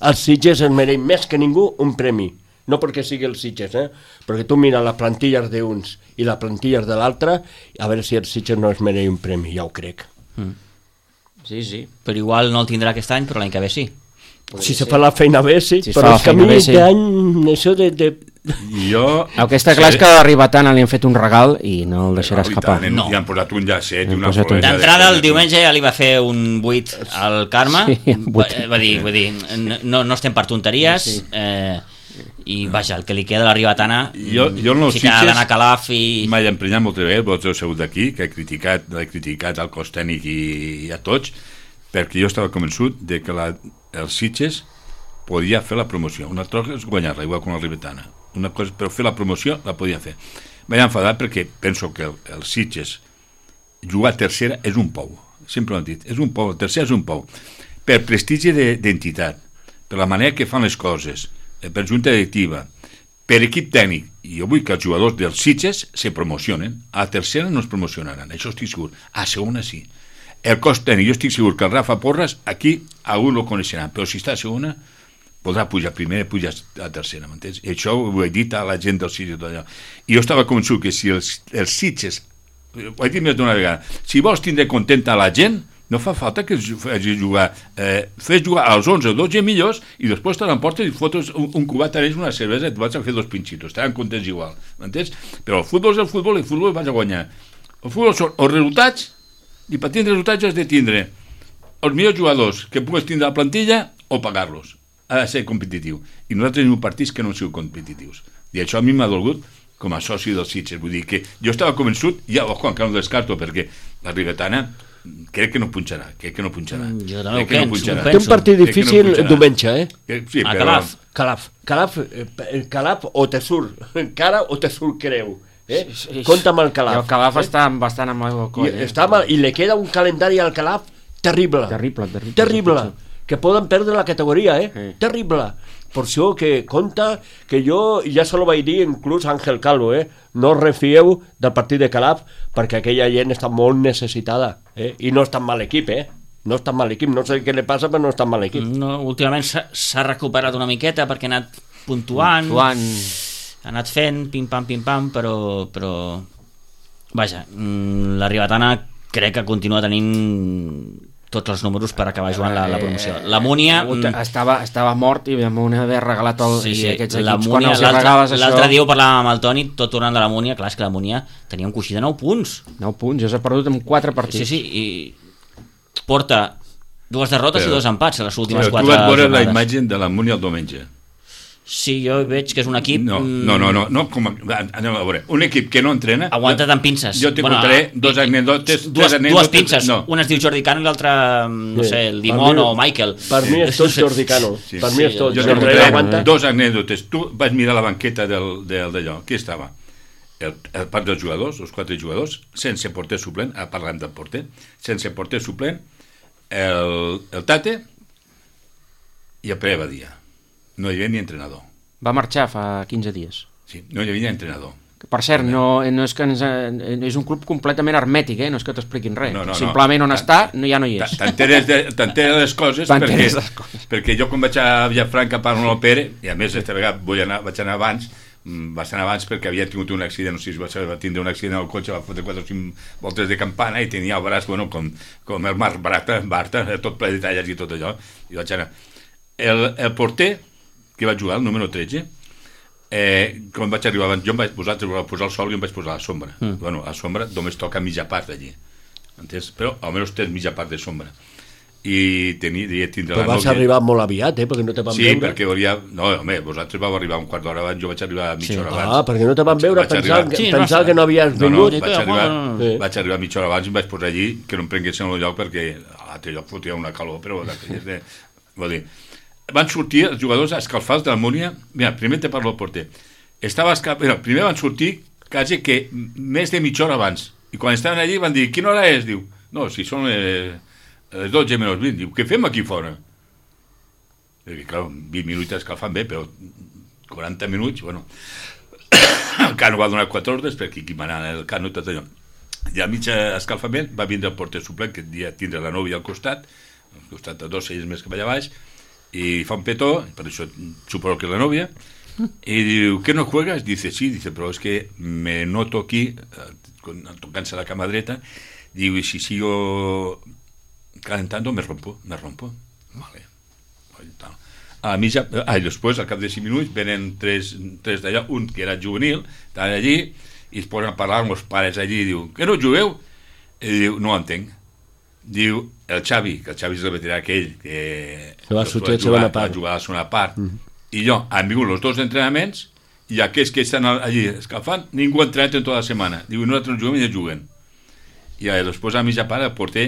Speaker 3: El Sitges es mereix més que ningú un premi. No perquè sigui el Sitges, perquè tu mira les plantilles d'uns i les plantilles de l'altre, a veure si el Sitges no es mereix un premi, ja ho crec.
Speaker 4: Sí.
Speaker 1: Però igual no el tindrà aquest any, però l'any que ve sí.
Speaker 3: Si se fa la feina bé, sí,
Speaker 4: Si es
Speaker 3: però
Speaker 4: fa la
Speaker 3: és que a
Speaker 4: feina
Speaker 3: mi
Speaker 4: bé, sí.
Speaker 3: aquest any, això de...
Speaker 2: Jo...
Speaker 4: El que està clar és que a la Ribetana li han fet un regal i no el deixarà escapar.
Speaker 1: No.
Speaker 2: I han posat un llacet i
Speaker 4: Han
Speaker 2: una
Speaker 4: posat un-
Speaker 2: floreta.
Speaker 1: D'entrada, el diumenge ja li va fer un 8 al Carme.
Speaker 4: Sí, un vuit.
Speaker 1: Va dir, no estem per tonteries. I vaja, el que li queda a la Ribetana,
Speaker 2: Jo no
Speaker 1: sí que ha d'anar a Calaf i...
Speaker 2: m'he emprenyat moltes vegades, vols heu segut d'aquí, que l'he criticat al cos tècnic i a tots, perquè jo estava convençut de que el Sitges podia fer la promoció. Una altra cosa és guanyar-la, igual com la Ribetana. Una cosa, però fer la promoció la podia fer. M'he enfadat perquè penso que el Sitges jugar a tercera és un pou, sempre ho han dit, és un pou, tercera és un pou, per prestigi d'entitat, per la manera que fan les coses, per junta directiva, per equip tècnic, i jo vull que els jugadors dels Sitges se promocionen, a tercera no es promocionaran, això estic segur, a segona sí. El cos tècnic, jo estic segur que el Rafa Porras aquí algú no coneixerà, però si està a segona podrà pujar primera, pujar a tercera, m'entens? I això ho he dit a la gent dels Sitges d'allò. I jo estava convençut que si els Sitges, ho he dit més d'una vegada, si vols tindre contenta la gent, no fa falta que facis jugar, fes jugar als 11 o 12 millors i després te l'emportes i fotos un cubat a ells una cervesa i et vas a fer 2 pinxitos, estaran contents igual, m'entens? Però el futbol és el futbol i el futbol vas a guanyar. El futbol són els resultats i per tindre resultats has de tindre els millors jugadors que pugues tindre a la plantilla o pagar-los. Ha de ser competitiu. I nosaltres tenim partits que no han sigut competitius. I això a mi m'ha dolgut com a soci dels Sitges. Vull dir que jo estava convençut, ja encara no descarto, perquè la Ribetana crec que no punxarà.
Speaker 1: Jo també ho penso.
Speaker 3: Té un partit difícil diumenge,
Speaker 2: Sí,
Speaker 1: a
Speaker 2: però...
Speaker 3: Calaf o te surt encara o te surt creu. Compte amb el Calaf.
Speaker 4: El Calaf està bastant amb el coll.
Speaker 3: I li queda un calendari al Calaf terrible. Terrible. Que poden perdre la categoria, terrible. Per això que compta, que jo ja se lo vaig dir inclús a Ángel Calvo, no refieu del partit de Calaf perquè aquella gent està molt necessitada, i no és tan mal equip, no és tan mal equip, no sé què li passa però no és tan mal equip.
Speaker 1: No, últimament s'ha recuperat una miqueta perquè ha anat puntuant, ha anat fent pim-pam, però vaja, la Ribetana crec que continua tenint tots els números per acabar jugant la promoció. La Múnia...
Speaker 4: Estava mort i vam haver regalat aquests equips quan els regales això...
Speaker 1: L'altre dia ho parlàvem amb el Toni, tot tornant de la Múnia, clar, és que la Múnia tenia un coixí de 9 punts.
Speaker 4: 9 punts, ja s'ha perdut en 4 partits.
Speaker 1: Sí, i porta 2 derrotes i 2 empats a les últimes 4
Speaker 2: jornades. Tu vas veure la
Speaker 1: imatge
Speaker 2: de la Múnia el diumenge.
Speaker 1: Sí, jo veig que és un equip...
Speaker 2: No, anem a veure. Un equip que no entrena...
Speaker 1: Aguanta't amb pinces.
Speaker 2: Jo t'hi contaré dues anècdotes.
Speaker 1: Dues pinces. No. Una es diu Jordi Cano i l'altra, no sé, el Dimon o Michael.
Speaker 3: Per mi és tot Jordi Cano. Per mi és tot.
Speaker 2: Jo t'hi contaré dues anècdotes. Tu vas mirar la banqueta d'allò. Qui estava? El part dels jugadors, els 4 jugadors, sense porter suplent, parlant del porter, sense porter suplent, el Tate i el Pere Badia. No hi havia ni entrenador.
Speaker 4: Va marxar fa 15 dies.
Speaker 2: Sí, no hi havia ni entrenador.
Speaker 4: Per cert, no és que és un club completament hermètic, no és que t'expliquin res. Simplement on està, ja no hi és.
Speaker 2: T'enteres de les coses perquè jo quan vaig a Villafranca parlo amb el Pere, i a més aquesta vegada vaig anar abans perquè havia tingut un accident, no sé si va tindre un accident al cotxe, va fotre 4 o 5 voltes de campana i tenia el braç com el Marc Barta, tot ple de talles i tot allò, i vaig anar. El porter que va jugar, el número 13, quan vaig arribar abans, vosaltres vau posar el sol i em vaig posar a la sombra. Bueno, a la sombra només toca mitja part d'allí, entens? Però almenys tens mitja part de sombra. I tindre
Speaker 3: però vas arribar molt aviat, perquè no te van veure.
Speaker 2: Sí, perquè volia... No, home, vosaltres vau arribar un quart d'hora abans, jo vaig arribar mitja hora abans.
Speaker 3: Perquè no te van veure, pensar que no havies vingut.
Speaker 2: No, vaig arribar mitja hora abans i em vaig posar allí, que no em prenguessin al lloc, perquè a l'altre lloc fotia una calor, però vol dir... Van sortir els jugadors escalfats de la Múnia. Mira, primer te parlo del porter. Primer van sortir quasi que més de mitja hora abans. I quan estaven allí van dir, quina hora és? Diu, no, si són les 12 menys 20. Diu, què fem aquí fora? I clar, 20 minuts escalfant bé, però 40 minuts, bueno... El Cano va donar 4 ordres perquè qui manava el Cano i tot allò. I a mitja escalfament va vindre el porter suplent, que tindre la nòvia al costat de 2 6 més que allà baix, y fa un petó, por eso supongo que es la novia, y digo, ¿qué no juegas? Dice, sí, dice, pero es que me noto aquí, tocándose la cama dreta, digo, y si sigo calentando, me rompo. Vale. I després, al cap de 5 minuts, venen tres d'allà, un que era juvenil, estaven allí, i es posen a parlar amb els pares allí, i diu, que no jugueu? I diu, no ho entenc. Diu, el Xavi, que el Xavi és el veterà aquell que
Speaker 3: va jugar
Speaker 2: a la segona part, i jo, han vingut els 2 entrenaments i aquells que estan allí escalfant, ningú ha entrenat en tota la setmana. Diu, nosaltres no juguem i ells juguen. I després a mitja part el porter,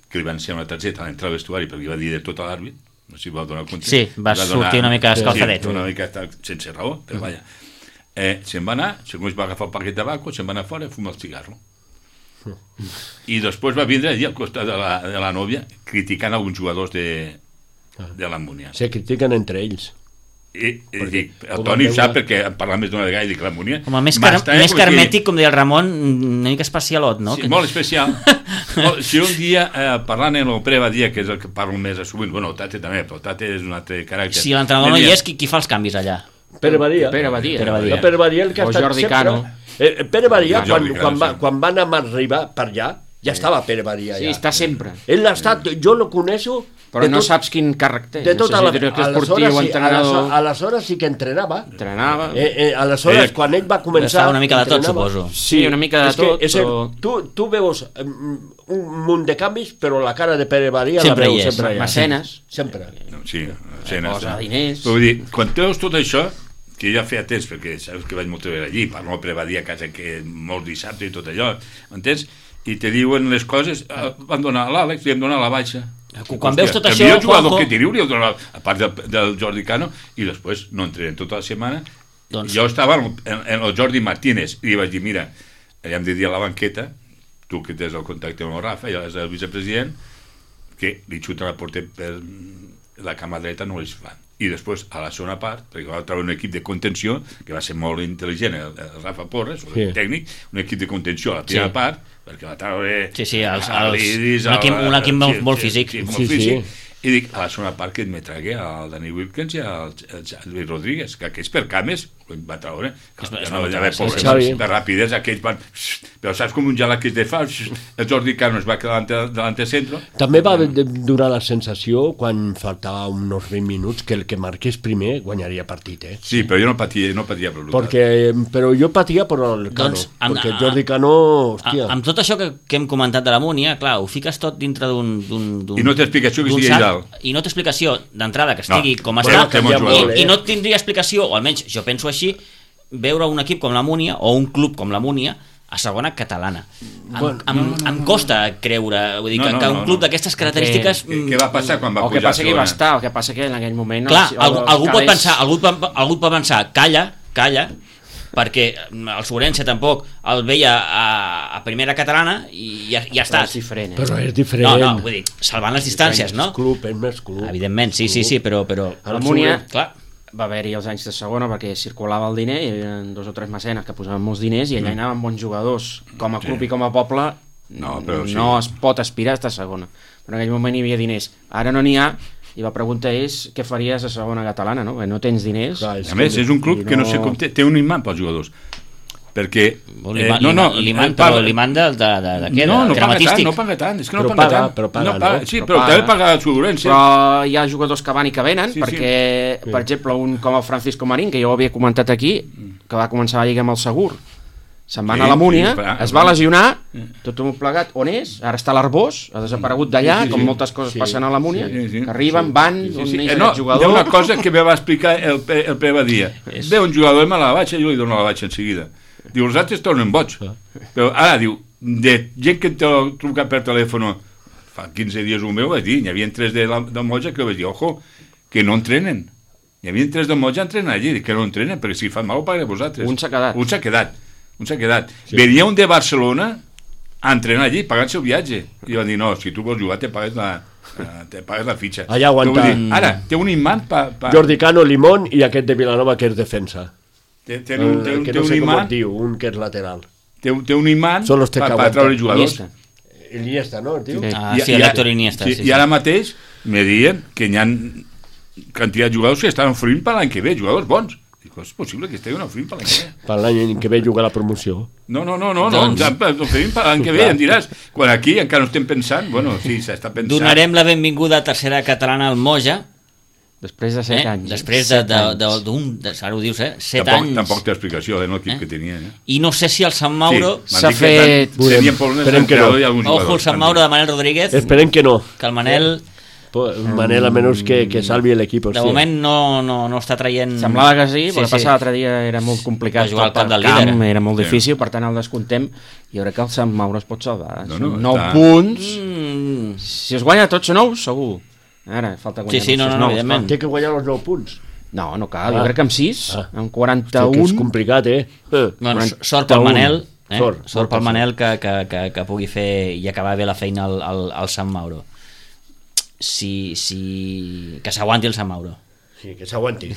Speaker 2: que li van ensenyar una targeta a l'entrar al vestuari perquè li va dir de tot a l'àrbit, no sé si va donar compte.
Speaker 1: Sí, va sortir una mica escalfadet.
Speaker 2: Sí, una mica sense raó, però vaja. Se'n va anar, segons va agafar el paquet de tabaco, se'n va anar fora i fumar el cigarro. I després va vindre allí al costat de la nòvia criticant alguns jugadors de la Múnia.
Speaker 3: Se critiquen entre ells.
Speaker 2: I dic, el Toni ho sap perquè em parla més d'una vegada i dic la Múnia...
Speaker 1: Home, més carmètic, com deia el Ramon, una mica especialot, no?
Speaker 2: Sí, molt especial. Si un dia, parlant en el Pere Badia, que és el que parlo més a sovint, bueno, el Tate també, però el Tate és un altre caràcter.
Speaker 1: Si l'entrenador no hi és, qui fa els canvis allà?
Speaker 3: Pere Badia.
Speaker 4: Pere Badia.
Speaker 3: Pere Badia, el que ha
Speaker 4: O
Speaker 3: estat
Speaker 4: Jordi
Speaker 3: sempre...
Speaker 4: Cano.
Speaker 3: Pere Badia,
Speaker 2: Jordi Cano,
Speaker 3: quan van arribar per allà, ja estava Pere Badia.
Speaker 4: Sí, està sempre.
Speaker 3: Ell ha estat, jo lo coneixo...
Speaker 4: Però no saps quin càrrec té.
Speaker 3: De tota la...
Speaker 4: Aleshores
Speaker 3: sí que entrenava.
Speaker 4: Entrenava.
Speaker 3: Aleshores, quan ell va començar...
Speaker 1: Estava una mica de tot, suposo.
Speaker 4: Sí, una mica de tot, però...
Speaker 3: Tu veus un munt de canvis, però la cara de Pere Badia
Speaker 1: sempre
Speaker 3: la veus sempre allà.
Speaker 4: Mecenes.
Speaker 3: Sempre.
Speaker 2: Sí, mecenes.
Speaker 4: Posa diners.
Speaker 2: Vull dir, quan treus tot això, que ja feia temps, perquè saps que vaig moltes vegades allí, parlo amb Pere Badia a casa, que molts dissabtes i tot allò, m'entens? I te diuen les coses, van donar a l'Àlex, li hem donat la baixa.
Speaker 1: Quan veus tot això,
Speaker 2: el millor jugador que teniu li heu donat, a part del Jordi Cano, i després no entrenen tota la setmana. Jo estava en el Jordi Martínez i li vaig dir, mira, hem de dir a la banqueta, tu que tens el contacte amb el Rafa, ja és el vicepresident, que li xuten la porter per la cama dreta, no li fan. I després, a la segona part, perquè va treure un equip de contenció, que va ser molt intel·ligent, el Rafa Porres, el tècnic, un equip de contenció a la primera part, perquè va treure...
Speaker 1: Sí, un equip molt físic.
Speaker 2: Sí. I dic, a la segona part que me tragué al Dani Wilkins i al Luis Rodríguez, que aquells per cames va treure, per rapidesa, aquells van... Però saps com un gelat que es fa? El Jordi Cano es va quedar davant del centre.
Speaker 3: També va durar la sensació, quan faltava uns 20 minuts, que el que marqués primer guanyaria partit, eh?
Speaker 2: Sí, però jo no patia per l'Uta.
Speaker 3: Però jo patia per el Cano, perquè el Jordi Cano, hòstia...
Speaker 1: Amb tot això que hem comentat de la Múnia, clar, ho fiques tot dintre d'un...
Speaker 2: I no té explicació que estigui allà.
Speaker 1: I no té explicació d'entrada que estigui com està, i no tindria explicació, o almenys jo penso així, veure un equip com la Múnia o un club com la Múnia a segona catalana. Em costa creure, vull dir, que un club d'aquestes característiques...
Speaker 2: Què va passar quan va pujar?
Speaker 4: El que passa que hi va estar, el que passa que en aquell moment...
Speaker 1: Clar, algú pot pensar, calla, perquè el Sobrense tampoc el veia a primera catalana i ja està.
Speaker 3: Però és diferent.
Speaker 1: No, vull dir, salvant les distàncies, no?
Speaker 3: És més club.
Speaker 1: Evidentment, sí, però...
Speaker 4: La Múnia, clar, va haver-hi els anys de segona perquè circulava el diner, hi havia 2 o 3 mecenes que posaven molts diners i allà hi anaven bons jugadors. Com a club i com a poble no es pot aspirar a estar segona. Però en aquell moment hi havia diners. Ara no n'hi ha, i la pregunta és què faries a segona catalana, no? Que no tens diners.
Speaker 2: A més, és un club que no sé com té un imant pels jugadors. Perquè...
Speaker 1: L'imant de què?
Speaker 2: No paga tant, és que no paga tant.
Speaker 3: Però paga.
Speaker 2: Sí, però també paga el Sobrense.
Speaker 4: Però hi ha jugadors que van i que venen, perquè, per exemple, un com el Francisco Marín, que jo ho havia comentat aquí, que va començar la Lliga amb el Segur, se'n van a la Múnia, es va lesionar, tot un plegat, on és? Ara està a l'Arbós, ha desaparegut d'allà, com moltes coses passen a la Múnia, que arriben, van, on neix aquest jugador...
Speaker 2: Hi ha una cosa que me va explicar el Pere Badia. Ve un jugador i me la baixa, jo li dono la baixa en seguida. Diu, els altres tornen boig. Però ara, diu, de gent que t'ha trucat per telèfon fa 15 dies o meu, vaig dir, hi havia 3 del Moja que vaig dir, ojo, que no entrenen. Hi havia 3 del Moja entrenen allí, que no entrenen, perquè si fan mal ho pagareu vosaltres.
Speaker 4: Un s'ha
Speaker 2: quedat. Venia un de Barcelona a entrenar allí, pagant-se el viatge. I van dir, no, si tu vols jugar te pagues la fitxa.
Speaker 3: Allà aguanta.
Speaker 2: Ara, té un imant
Speaker 3: Jordi Cano, Limón i aquest de Vilanova que és defensa.
Speaker 2: Té un imant,
Speaker 3: un que és lateral.
Speaker 2: té un imant per treure jugadors.
Speaker 3: Iniesta, no?
Speaker 1: Sí, l'Héctor Iniesta.
Speaker 2: I ara mateix me diuen que hi ha quantitat de jugadors que estan oferint per l'any que ve, jugadors bons. Dic, és possible que estiguin oferint per l'any que ve.
Speaker 3: Per l'any que ve jugar la promoció.
Speaker 2: No, oferint per l'any que ve, em diràs. Quan aquí encara no estem pensant, bueno, sí, s'està pensant.
Speaker 1: Donarem la benvinguda a tercera catalana al Moja,
Speaker 4: després de 7 anys.
Speaker 1: Després ara ho dius, 7 anys.
Speaker 2: Tampoc té explicació l'equip que tenia.
Speaker 1: I no sé si el Sant Mauro
Speaker 4: s'ha fet...
Speaker 3: Esperem que no.
Speaker 1: Ojo, el Sant Mauro de Manel Rodríguez.
Speaker 3: Esperem que no.
Speaker 1: Que el Manel...
Speaker 3: Manel, a menys que salvi l'equip.
Speaker 1: De moment no està traient...
Speaker 4: Semblava que sí, però passar l'altre dia era molt complicat.
Speaker 1: Jugar al camp del líder.
Speaker 4: Era molt difícil, per tant el descomptem. Jo crec que el Sant Mauro es pot salvar. 9 punts. Si es guanya tots 9, segur. Ara, falta guanyar
Speaker 1: evidentment.
Speaker 3: Té que guanyar els 9 punts.
Speaker 4: No cal, jo crec que amb 6, amb 41...
Speaker 3: Que és complicat,
Speaker 1: Bueno, sort pel Manel, Sort pel Manel que pugui fer i acabar bé la feina al Sant Mauro. Que s'aguanti el Sant Mauro.
Speaker 3: Sí, que s'aguanti.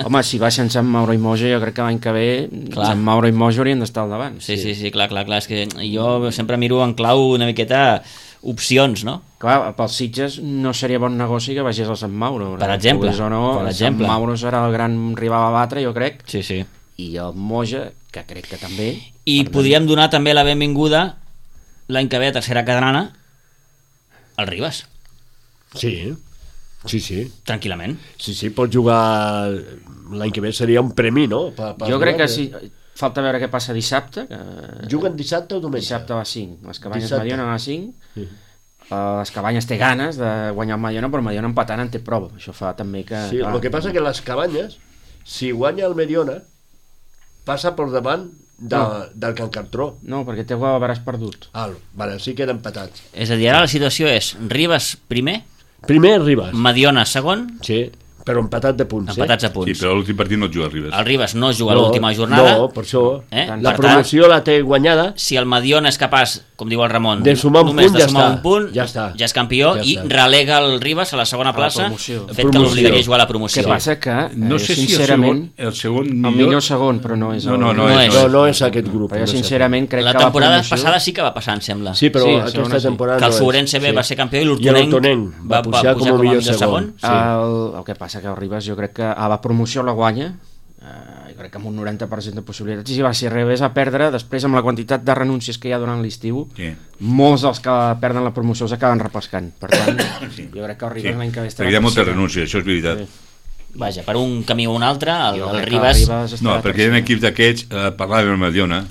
Speaker 4: Home, si baixen Sant Mauro i Moja, jo crec que l'any que ve Sant Mauro i Moja haurien d'estar al davant.
Speaker 1: Sí, clar, és que jo sempre miro en clau una miqueta opcions, no?
Speaker 4: Clar, pels Sitges no seria bon negoci que vagés al Sant Mauro.
Speaker 1: Per exemple.
Speaker 4: O no, Sant Mauro serà el gran rival a batre, jo crec.
Speaker 1: Sí.
Speaker 4: I el Moja, que crec que també.
Speaker 1: I podríem donar també la benvinguda l'any que ve a tercera catalana al Ribas.
Speaker 3: Sí.
Speaker 1: Tranquil·lament.
Speaker 3: Sí, pot jugar l'any que ve, seria un premi, no?
Speaker 4: Jo crec que sí. Falta veure què passa dissabte.
Speaker 3: Juguen dissabte o diumenge?
Speaker 4: Dissabte a les 5. Les Cabanyes Mediona a les 5. Les Cabanyes té ganes de guanyar el Mediona, però el Mediona empatant en té prova. Això fa també que...
Speaker 3: Sí, el que passa que les Cabanyes, si guanya el Mediona, passa per davant del Can Cartró.
Speaker 4: No, perquè té Guadalajara perdut.
Speaker 3: Vale, sí que eren empatats.
Speaker 1: És a dir, ara la situació és Ribas primer,
Speaker 3: Ribas.
Speaker 1: Mediona segon,
Speaker 3: Sí, però empatat de punts.
Speaker 1: empatats a punts.
Speaker 2: Sí, però l'últim partit no et juga el Ribas.
Speaker 1: El Ribas no juga l'última jornada.
Speaker 3: No, per això. La
Speaker 1: Per
Speaker 3: promoció la té guanyada.
Speaker 1: Si el Mediona és capaç, com diu el Ramon,
Speaker 3: de sumar un
Speaker 1: només
Speaker 3: punt,
Speaker 1: de sumar un punt,
Speaker 3: ja està.
Speaker 1: Ja és campió i relega el Ribas a la segona plaça, fet que l'obligaria a jugar a la promoció.
Speaker 4: Què passa que,
Speaker 2: no sé
Speaker 4: sincerament,
Speaker 2: si el segon
Speaker 4: millor... El millor segon, però no és...
Speaker 3: No és aquest grup.
Speaker 4: Però jo sincerament crec
Speaker 1: la
Speaker 4: que la
Speaker 1: temporada
Speaker 4: promoció...
Speaker 1: passada sí que va passar, em sembla.
Speaker 3: Sí, però aquesta temporada
Speaker 1: que el Fluorense B va ser campió i l'Hortonenc
Speaker 3: va pujar com a millor segon.
Speaker 4: El que passa que el Ribas jo crec que a la promoció la guanya, jo crec que amb un 90% de possibilitats, i si va ser revés a perdre, després amb la quantitat de renúncies que hi ha durant l'estiu, molts dels que perden la promoció els acaben repescant. Per tant, jo crec que el Ribas l'any que ve estarà...
Speaker 2: Perquè hi ha moltes renúncies, això és veritat.
Speaker 1: Vaja, per un camí o un altre, el Ribas...
Speaker 2: No, perquè hi ha equips d'aquests, parlàvem amb el Mediona,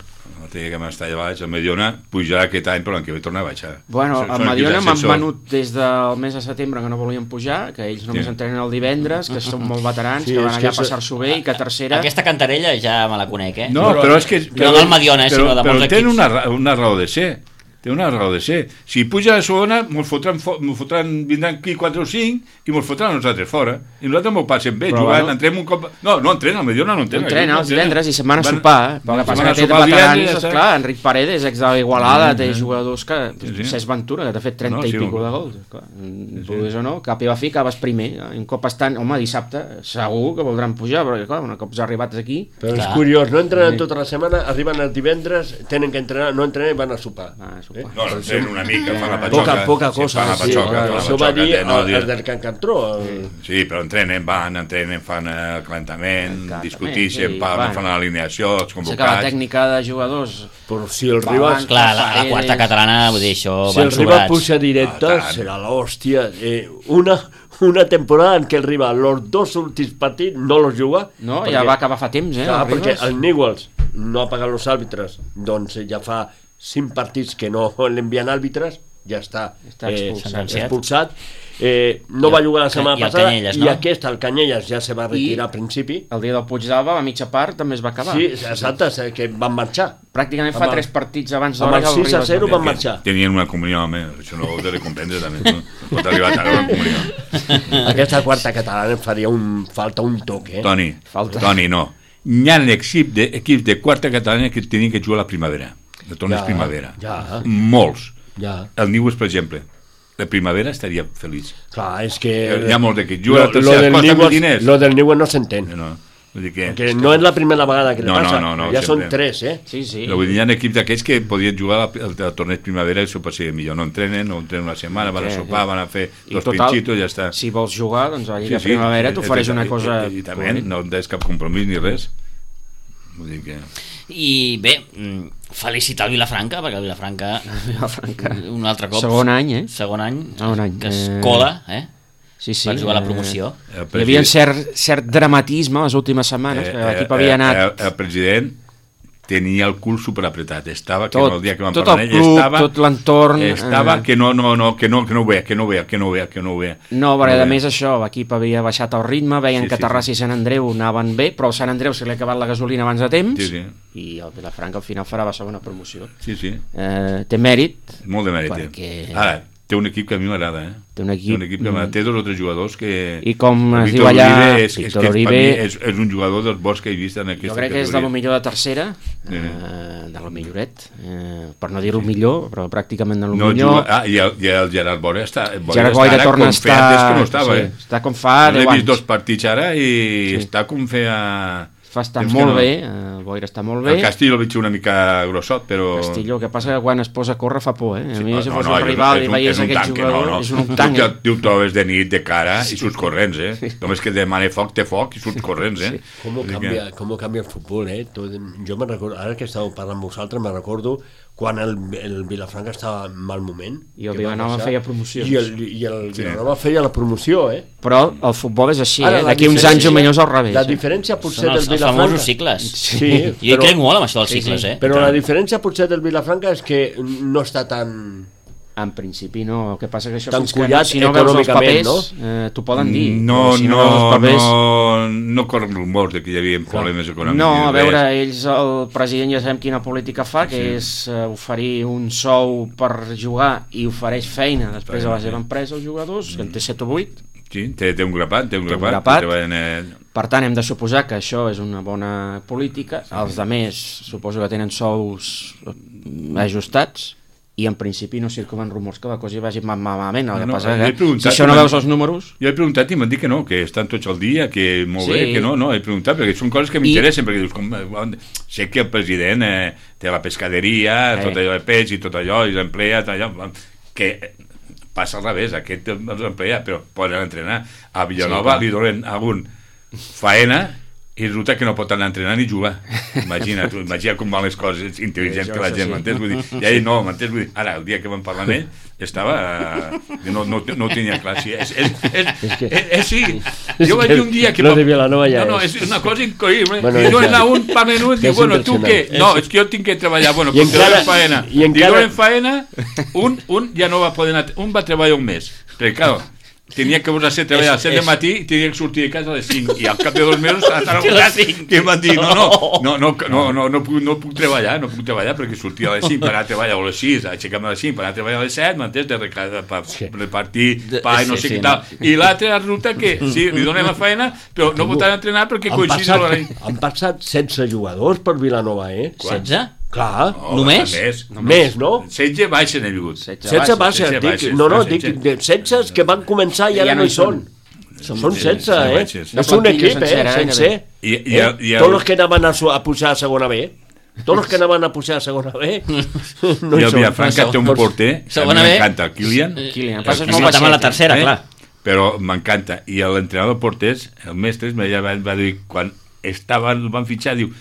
Speaker 2: que m'està allà baix, el Mediona pujarà aquest any, però l'any que ve torna a baixar.
Speaker 4: Bueno, el Mediona m'han venut des del mes de setembre que no volien pujar, que ells només entrenen el divendres, que són molt veterans, que van allà a passar-s'ho bé i que tercera...
Speaker 1: Aquesta cantarella ja me la conec,
Speaker 2: No, però és que...
Speaker 1: No del Mediona, sinó de molts equips.
Speaker 2: Però tenen una raó de ser. Té una raó de ser. Si puja a segona, vindran aquí 4 o 5 i mos fotran nosaltres fora. I nosaltres m'ho passem bé, jugant, entrem un cop... No entrena, el Mediona no entrena.
Speaker 4: Entrena els divendres i se'n van a sopar. Però el que passa que té veterans, esclar, Enric Paredes, ex de l'Igualada, té jugadors que... Cesc Ventura, que t'ha fet 30 i pico de gols. Vulguis o no, cap i va fi, acabes primer. Un cop estan... Home, dissabte, segur que voldran pujar, però clar, un cop has arribat aquí...
Speaker 3: Però és curiós, no entrenen tota la setmana, arriben els divendres, tenen que entrenar, no entrenen i van a sopar.
Speaker 2: No, entrenen una mica, fan la patxoca.
Speaker 3: Poca cosa, això va dir el del Can Cartró.
Speaker 2: Sí, però entrenen, fan calentament, discutixen, fan l'alineació, els convocats.
Speaker 4: Sé que la tècnica de jugadors...
Speaker 3: Però si el Ribas...
Speaker 1: Clar, la quarta catalana, vull dir, això
Speaker 3: si
Speaker 1: van sobrats.
Speaker 3: Si el Ribas puja directe, serà l'hòstia. Una temporada en què el Ribas els 2 últims partits no los juga.
Speaker 4: No, ja va acabar fa temps,
Speaker 3: perquè el Newells no ha pagat els àrbitres, doncs ja fa 5 partits que no l'envien àrbitres, ja està expulsat. No va jugar la setmana passada i aquest, el Canyelles, ja se va retirar al principi.
Speaker 4: El dia del Puigdàlber, a mitja part, també es va acabar.
Speaker 3: Sí, exacte, que van marxar.
Speaker 4: Pràcticament fa 3 partits abans
Speaker 3: d'hora que el Ribas... Amb el 6-0 van marxar.
Speaker 2: Tenien una comunió, home, això no ho heu de comprendre també. Pot arribar tard a una comunió.
Speaker 3: Aquesta quarta catalana em faria falta un toque.
Speaker 2: Toni, no. Hi ha equips de quarta catalana que tenien que jugar a la primavera. De tornes primavera. Molts. El Newells, per exemple, la primavera estaria feliç.
Speaker 3: Clar, és que...
Speaker 2: Hi ha molts equips. Juga a la tercera, costa més diners.
Speaker 3: Lo del Newells no s'entén. Que no és la primera vegada que li passa. Ja són 3,
Speaker 4: Sí.
Speaker 2: Hi ha equips d'aquests que podien jugar al torneig primavera i s'ho passaria millor. No entrenen una setmana, van a sopar, van a fer 2 pinxitos i ja està.
Speaker 4: Si vols jugar, doncs a la Lliga Primavera t'ofereix una cosa...
Speaker 2: I també no tens cap compromís ni res. Vull dir que...
Speaker 1: I bé, felicitar el Vilafranca, perquè el Vilafranca un altre cop
Speaker 4: segon any,
Speaker 1: que es cola per jugar a la promoció.
Speaker 4: Hi havia cert dramatisme les últimes setmanes, que l'equip havia anat...
Speaker 2: El president tenia el cul superapretat, estava que el dia que van
Speaker 4: parlar
Speaker 2: amb ell
Speaker 4: tot l'entorn
Speaker 2: estava que no ho veia.
Speaker 4: No, perquè a més això, l'equip havia baixat el ritme, veien que Terrassa i Sant Andreu anaven bé, però el Sant Andreu se li ha acabat la gasolina abans de temps i el Vilafranca al final farà la segona promoció. Té mèrit,
Speaker 2: molt de mèrit.
Speaker 4: perquè...
Speaker 2: Ara, Té un equip que a mi m'agrada,
Speaker 4: Té un equip
Speaker 2: que m'agrada. Té 2 o 3 jugadors que...
Speaker 4: I com es
Speaker 2: Víctor
Speaker 4: diu allà,
Speaker 2: Uribe
Speaker 4: Víctor Uribe...
Speaker 2: és un jugador dels bons que he vist en aquesta
Speaker 4: Jo crec que és de lo millor de tercera, de lo milloret, per no dir-ho millor, però pràcticament de lo millor.
Speaker 2: I el Gerard Boira
Speaker 4: Gerard Boira torna a estar...
Speaker 2: que no estava,
Speaker 4: està com fa 10 anys.
Speaker 2: L'he vist 2 partits ara i està com feia...
Speaker 4: Està molt bé, el Boira està molt bé.
Speaker 2: El Castillo el veig una mica grossot, però...
Speaker 4: Castillo, el que passa que quan es posa a córrer fa por, A mi si fos un rival i veies aquest jugador, és un tanc.
Speaker 2: Tu trobes de nit, de cara, i surts corrents, Només que demana foc, té foc i surts corrents,
Speaker 3: Com canvia el futbol, Jo me'n recordo, ara que estàveu parlant amb vosaltres, me'n recordo quan el Vilafranca estava en mal moment.
Speaker 4: I el Vilanova feia promocions.
Speaker 3: I el Vilanova feia la promoció,
Speaker 4: Però el futbol és així, d'aquí uns anys o millor és al revés.
Speaker 3: La diferència potser del Vilafranca...
Speaker 1: Són els famosos cicles.
Speaker 3: Sí,
Speaker 1: jo crec molt amb això dels cicles,
Speaker 3: Però la diferència potser del Vilafranca és que no està tan...
Speaker 4: En principi no, el que passa que això
Speaker 3: tan
Speaker 4: fins que si no veus els papers t'ho poden dir.
Speaker 2: No corren rumors de que hi havia problemes econòmics.
Speaker 4: No, a veure, ells, el president ja sabem quina política fa, que és oferir un sou per jugar i ofereix feina després a la seva empresa als jugadors, que en té 7 o 8.
Speaker 2: Sí, té un grapat.
Speaker 4: Per tant, hem de suposar que això és una bona política. Els altres suposo que tenen sous ajustats i en principi no circulen rumors que la cosa vagi malament. El que passa que si això no veus els números...
Speaker 2: Jo he preguntat i m'han dit que no, que estan tots al dia, que molt bé, que no, he preguntat, perquè són coses que m'interessen, perquè dius, sé que el president té la pescaderia, tot allò de peix i tot allò, i l'emplea, que passa al revés, aquest els emplea, però poden entrenar. A Vilanova li donen algun faena i resulta que no pot anar a entrenar ni jugar. Imagina com van les coses intel·ligents que la gent, m'entens? Vull dir, i ell no, m'entens? Vull dir, ara, el dia que vam parlar amb ell, estava... No tenia clar. Sí, jo vaig dir un dia que...
Speaker 3: Lo de Vilanova ja
Speaker 2: és. No, és una cosa increïble. I donen a un, parlen un, i diu, bueno, tu què? No, és que jo tinc que treballar. Bueno, pues te donen faena. I donen faena, un ja no va poder anar... Un va treballar un mes. Perquè, clar, tenia que posar-se a treballar a les 7 del matí i tenia que sortir de casa a les 5 i al cap de 2 mesos estava agotat que em van dir no puc treballar perquè sortia a les 5 per anar a treballar a les 6, aixecar-me a les 5 per anar a treballar a les 7, m'entens, per repartir pa i no sé què tal, i l'altre resulta que sí, li donem la feina però no pot anar a entrenar perquè coincideix a l'hora.
Speaker 3: Han passat 16 jugadors per Vilanova,
Speaker 1: 16?
Speaker 3: Clar.
Speaker 1: Només?
Speaker 3: Més, no?
Speaker 2: 16 baixen he vingut.
Speaker 3: 16 baixen, dic 16 que van començar i ara no hi són. Són 16, És un equip, sencer. Tots els que anaven a pujar a segona B, tots els que anaven a pujar a segona B, no hi
Speaker 2: són. I el Vilafranca té un porter, a mi m'encanta, el Kilian.
Speaker 1: Passa molt baixet. La tercera, clar.
Speaker 2: Però m'encanta. I l'entrenador porters, el mestre, va dir, quan van fitxar, diu,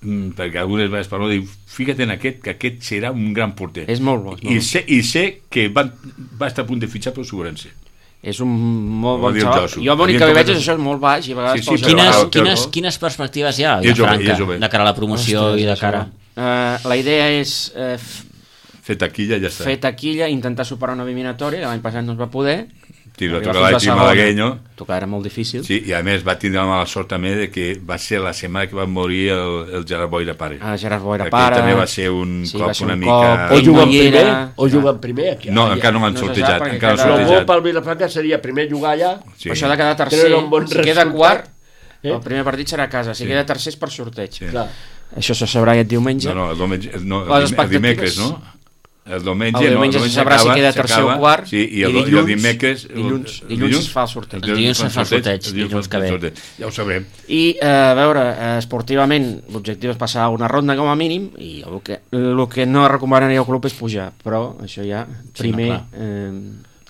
Speaker 2: perquè algunes vegades parlo, diu, fica't en aquest, que aquest serà un gran porter.
Speaker 4: És molt bo.
Speaker 2: I sé que va estar a punt de fitxar pel Sobrense.
Speaker 4: És un molt bon xaval. Jo l'únic que veig és això, és molt baix i a vegades...
Speaker 1: Quines perspectives hi ha a Vilafranca de cara a la promoció i de cara...
Speaker 4: La idea és
Speaker 2: fer taquilla i ja està.
Speaker 4: Fer taquilla, intentar superar una eliminatòria, l'any passat no es va poder.
Speaker 2: Sí, va tocar l'equip malagueño.
Speaker 4: Tocar era molt difícil.
Speaker 2: Sí, i a més va tindre la mala sort també de que va ser la setmana que va morir el Gerard Boira pare.
Speaker 4: Gerard Boira pare.
Speaker 2: També va ser un cop una mica...
Speaker 3: O juguen primer?
Speaker 2: No, encara no m'han sortejat.
Speaker 3: El bo pel Vilafranca seria primer jugar allà.
Speaker 4: Això de quedar tercer, si queda quart, el primer partit serà a casa. Si queda tercer és per sorteig. Això se sabrà aquest diumenge.
Speaker 2: No, el dimecres, no? El diumenge
Speaker 4: se sabrà si queda tercer o quart.
Speaker 2: Sí, i el dimecres...
Speaker 4: Dilluns es fa el sorteig.
Speaker 1: Dilluns es fa el sorteig, dilluns que ve.
Speaker 2: Ja ho sabrem.
Speaker 4: I, a veure, esportivament, l'objectiu és passar una ronda com a mínim, i el que no recomanaria al club és pujar, però això ja, primer...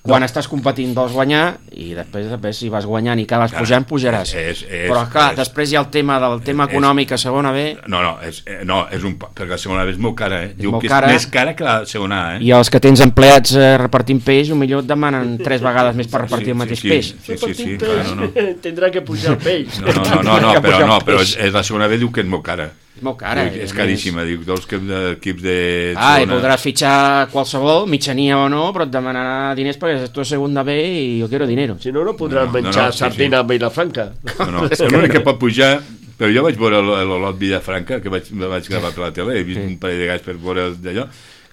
Speaker 4: Quan estàs competint vols guanyar i després si vas guanyant i acabes pujant, pujaràs. Però clar, després hi ha el tema econòmic a segona B.
Speaker 2: No, perquè la segona B és molt cara, Diu que és més cara que la segona A,
Speaker 4: I els que tens empleats repartint peix, millor et demanen 3 vegades més per repartir el mateix peix.
Speaker 2: Sí,
Speaker 3: tindrà que pujar el peix.
Speaker 2: No, però la segona B diu que és molt cara.
Speaker 4: Molt cara.
Speaker 2: És caríssima, diu, dels equips de...
Speaker 4: I podràs fitxar qualsevol, mitjania o no, però et demanarà diners perquè és tu segunda B i jo quiero dinero.
Speaker 3: Si no podràs menjar sardina a Vilafranca.
Speaker 2: L'únic que pot pujar... Però jo vaig veure l'Olot Vilafranca, que vaig gravar per la tele, he vist un parell de gats per veure d'allò,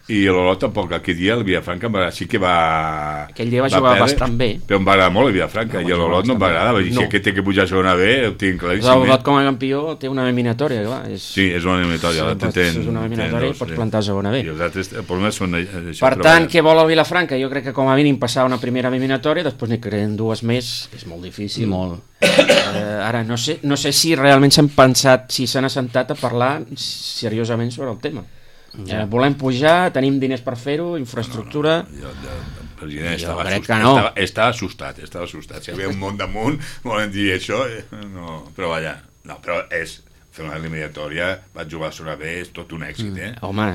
Speaker 2: I l'Olot tampoc, aquell dia el Vilafranca sí que va...
Speaker 4: Aquell dia va jugar
Speaker 2: perdre,
Speaker 4: bastant bé.
Speaker 2: Però em va agradar molt el Vilafranca, i l'Olot no em va agradar, va dir, si aquest té que pujar a segona B, ho tinc claríssim.
Speaker 4: L'Olot com a campió té una eliminatòria, clar.
Speaker 2: Sí, és una eliminatòria.
Speaker 4: És una eliminatòria i pots plantar a segona B.
Speaker 2: I els altres, el problema són això.
Speaker 4: Per tant, què vol el Vilafranca? Jo crec que com a mínim passar una primera eliminatòria, després n'hi creen dues més, és molt difícil.
Speaker 1: Molt.
Speaker 4: Ara, no sé si realment s'han pensat, si s'han assentat a parlar seriosament sobre el tema. Volem pujar, tenim diners per fer-ho, infraestructura...
Speaker 2: El president
Speaker 4: estava
Speaker 2: assustat. Si hi havia un món damunt, volen dir això, no, però vaja, no, però és fer una eliminatòria, vaig jugar a Sora B, és tot un èxit,
Speaker 4: Home,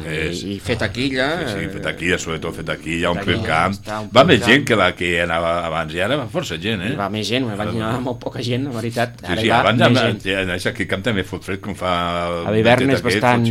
Speaker 4: i fer taquilla...
Speaker 2: Sí, fer taquilla, sobretot fer taquilla, omplir el camp. Va més gent que la que anava abans, i ara va força gent,
Speaker 4: Va més gent, abans hi anava molt poca gent, la veritat.
Speaker 2: Ara hi va més gent. Aquest camp també fot fred, com fa...
Speaker 4: A l'hivern és bastant...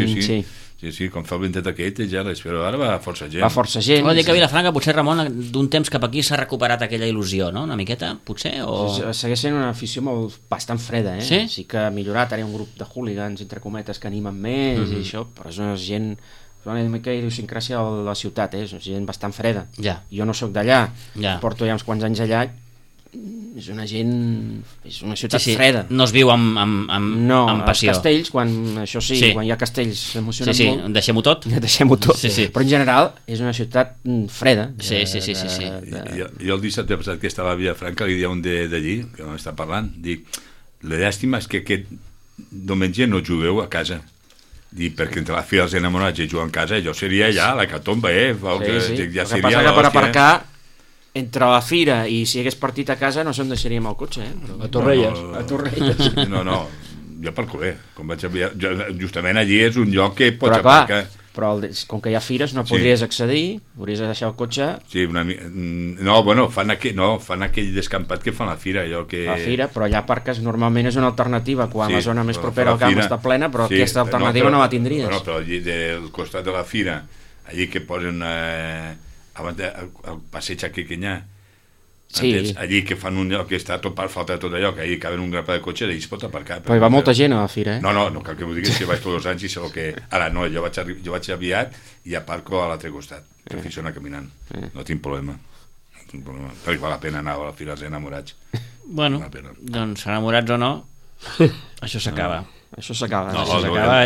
Speaker 2: Sí, com fa el ventet aquest, ja però ara va força gent.
Speaker 4: Va força gent.
Speaker 1: Vol dir que Vilafranca, potser, Ramon, d'un temps cap aquí s'ha recuperat aquella il·lusió, no? Una miqueta, potser?
Speaker 4: Segueix sent una afició bastant freda,
Speaker 1: Sí?
Speaker 4: Sí que ha millorat, ara hi ha un grup de hooligans, entre cometes, que animen més i això, però és una gent... És una mica idiosincràsia de la ciutat, és una gent bastant freda.
Speaker 1: Ja.
Speaker 4: Jo no sóc d'allà,
Speaker 1: Ja.
Speaker 4: porto ja uns quants anys allà, és una gent... és una ciutat freda.
Speaker 1: No es viu amb passió.
Speaker 4: Els castells, quan hi ha castells s'emocionen molt.
Speaker 1: Sí, deixem-ho tot.
Speaker 4: Deixem-ho tot.
Speaker 1: Sí.
Speaker 4: Però en general és una ciutat freda.
Speaker 1: Sí.
Speaker 2: Jo el dissabte passat que estava a Vilafranca li dia un d'allí, que no està parlant, dic, la llàstima és que aquest diumenge no jugueu a casa. Dic, perquè entre la fi dels enamorats i jugar a casa, jo seria allà a la catomba,
Speaker 4: Sí. El que passa que per aparcar entre la fira i si hagués partit a casa no se'm deixaríem el cotxe, Però...
Speaker 3: A Torrelles.
Speaker 2: No, jo aparco bé. Justament allí és un lloc que pots aparcar.
Speaker 4: Però com que hi ha fires no podries accedir, hauries de deixar el cotxe...
Speaker 2: Sí, fan aquell descampat que fan la fira.
Speaker 4: La fira, però allà aparques normalment és una alternativa, quan la zona més propera al camp està plena, però aquesta alternativa no la tindries.
Speaker 2: Però allí del costat de la fira, allí que posen... el passeig aquí que hi ha, allí que fan un lloc que està tot per falta de tot allò, que allí caben un grapat de cotxes i es pot aparcar.
Speaker 4: Però hi va molta gent a la fira,
Speaker 2: No cal que m'ho diguis, que vaig tots els anys i sé el que... Ara no, jo vaig aviat i aparco a l'altre costat, que aficiona caminant. No tinc problema. Perquè val la pena anar a la fira als enamorats.
Speaker 1: Bueno, doncs enamorats o no, això s'acaba.
Speaker 4: Això s'acaba.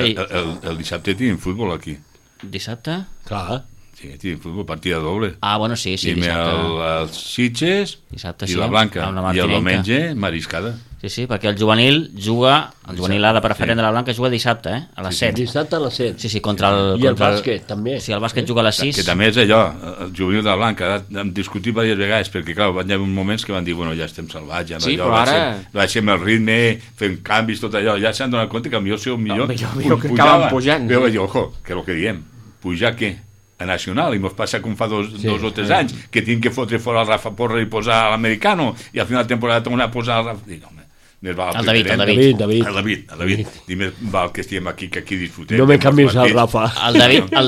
Speaker 2: El dissabte tenim futbol aquí.
Speaker 1: Dissabte?
Speaker 3: Clar.
Speaker 2: Sí, tenim futbol, partida doble.
Speaker 1: Bueno, sí, dissabte.
Speaker 2: Els Sitges i la Blanca. I el diumenge, Mariscada.
Speaker 1: Sí, perquè el juvenil ha de preferent de la Blanca juga dissabte, a les 7.
Speaker 3: Dissabte a les 7.
Speaker 1: Sí, contra el...
Speaker 3: I el bàsquet, també.
Speaker 1: Sí, el bàsquet juga a les 6.
Speaker 2: Que també és allò, el juvenil de la Blanca, hem discutit diverses vegades, perquè clar, van haver moments que van dir, ja estem salvats, ja
Speaker 4: però ara...
Speaker 2: baixem el ritme, fem canvis, tot allò, ja s'han donat compte que millor
Speaker 4: millor que acaben pujant.
Speaker 2: Però jo, que el que diem, pujar què? A Nacional, i mos passa com fa dos o tres anys, que tinc que fotre fora el Rafa Porra i posar l'Americano, i al final de temporada tornar a posar el Rafa... Dic, home, més val
Speaker 1: el David.
Speaker 2: El David. Dic, més val que estiguem aquí, que aquí disfrutem.
Speaker 3: No me canvis el Rafa.
Speaker 1: El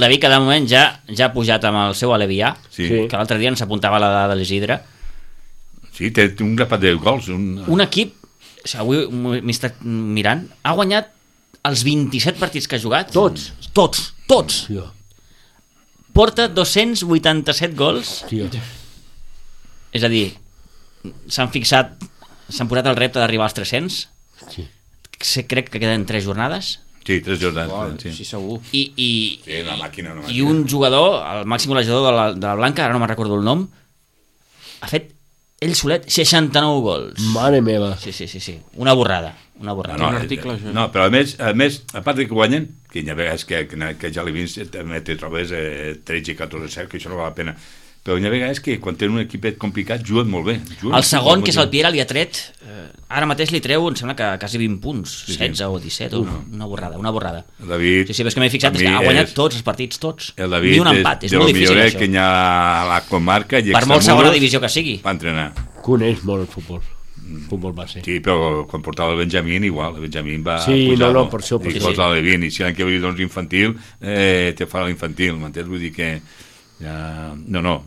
Speaker 1: David cada moment ja ha pujat amb el seu Alevià, que l'altre dia ens apuntava a l'edat de l'Isidre.
Speaker 2: Sí, té un grapat de gols.
Speaker 1: Un equip, avui m'he estat mirant, ha guanyat els 27 partits que ha jugat. Tots. Porta 287 gols. És a dir, s'han posat el repte d'arribar als 300. Crec que queden 3 jornades.
Speaker 2: Sí, 3 jornades.
Speaker 4: Sí, segur.
Speaker 1: I
Speaker 2: una màquina.
Speaker 1: I un jugador, el màxim golejador de la Blanca, ara no me'n recordo el nom, ha fet ell solet 69 gols.
Speaker 3: Mare meva.
Speaker 1: Sí. Una borrada.
Speaker 2: Un article, no, però a més, a part de que guanyen, que hi ha vegades que ja li vins també te trobes 13 i 14 cert, que això no val la pena, però hi ha vegades que quan tenen un equipet complicat juguen molt bé.
Speaker 1: El segon, que és el Piera, li ha tret, ara mateix li treu, em sembla que quasi 20 punts, 16 o 17, una borrada.
Speaker 2: El David...
Speaker 1: Sí, però és que m'he fixat, és que ha guanyat tots els partits, tots.
Speaker 2: El David
Speaker 1: ni un empat, és molt difícil això.
Speaker 2: Que hi ha a la comarca i
Speaker 1: per molt segona divisió que sigui.
Speaker 2: Va entrenar.
Speaker 3: Coneix molt el futbol base.
Speaker 2: Sí, però quan portava el Benjamín igual, el Benjamín va
Speaker 3: pujar-lo. Per això.
Speaker 2: I posa l'Alevin, i si l'any que ve doncs infantil, te fa l'infantil, m'entens? Vull dir que ja... No,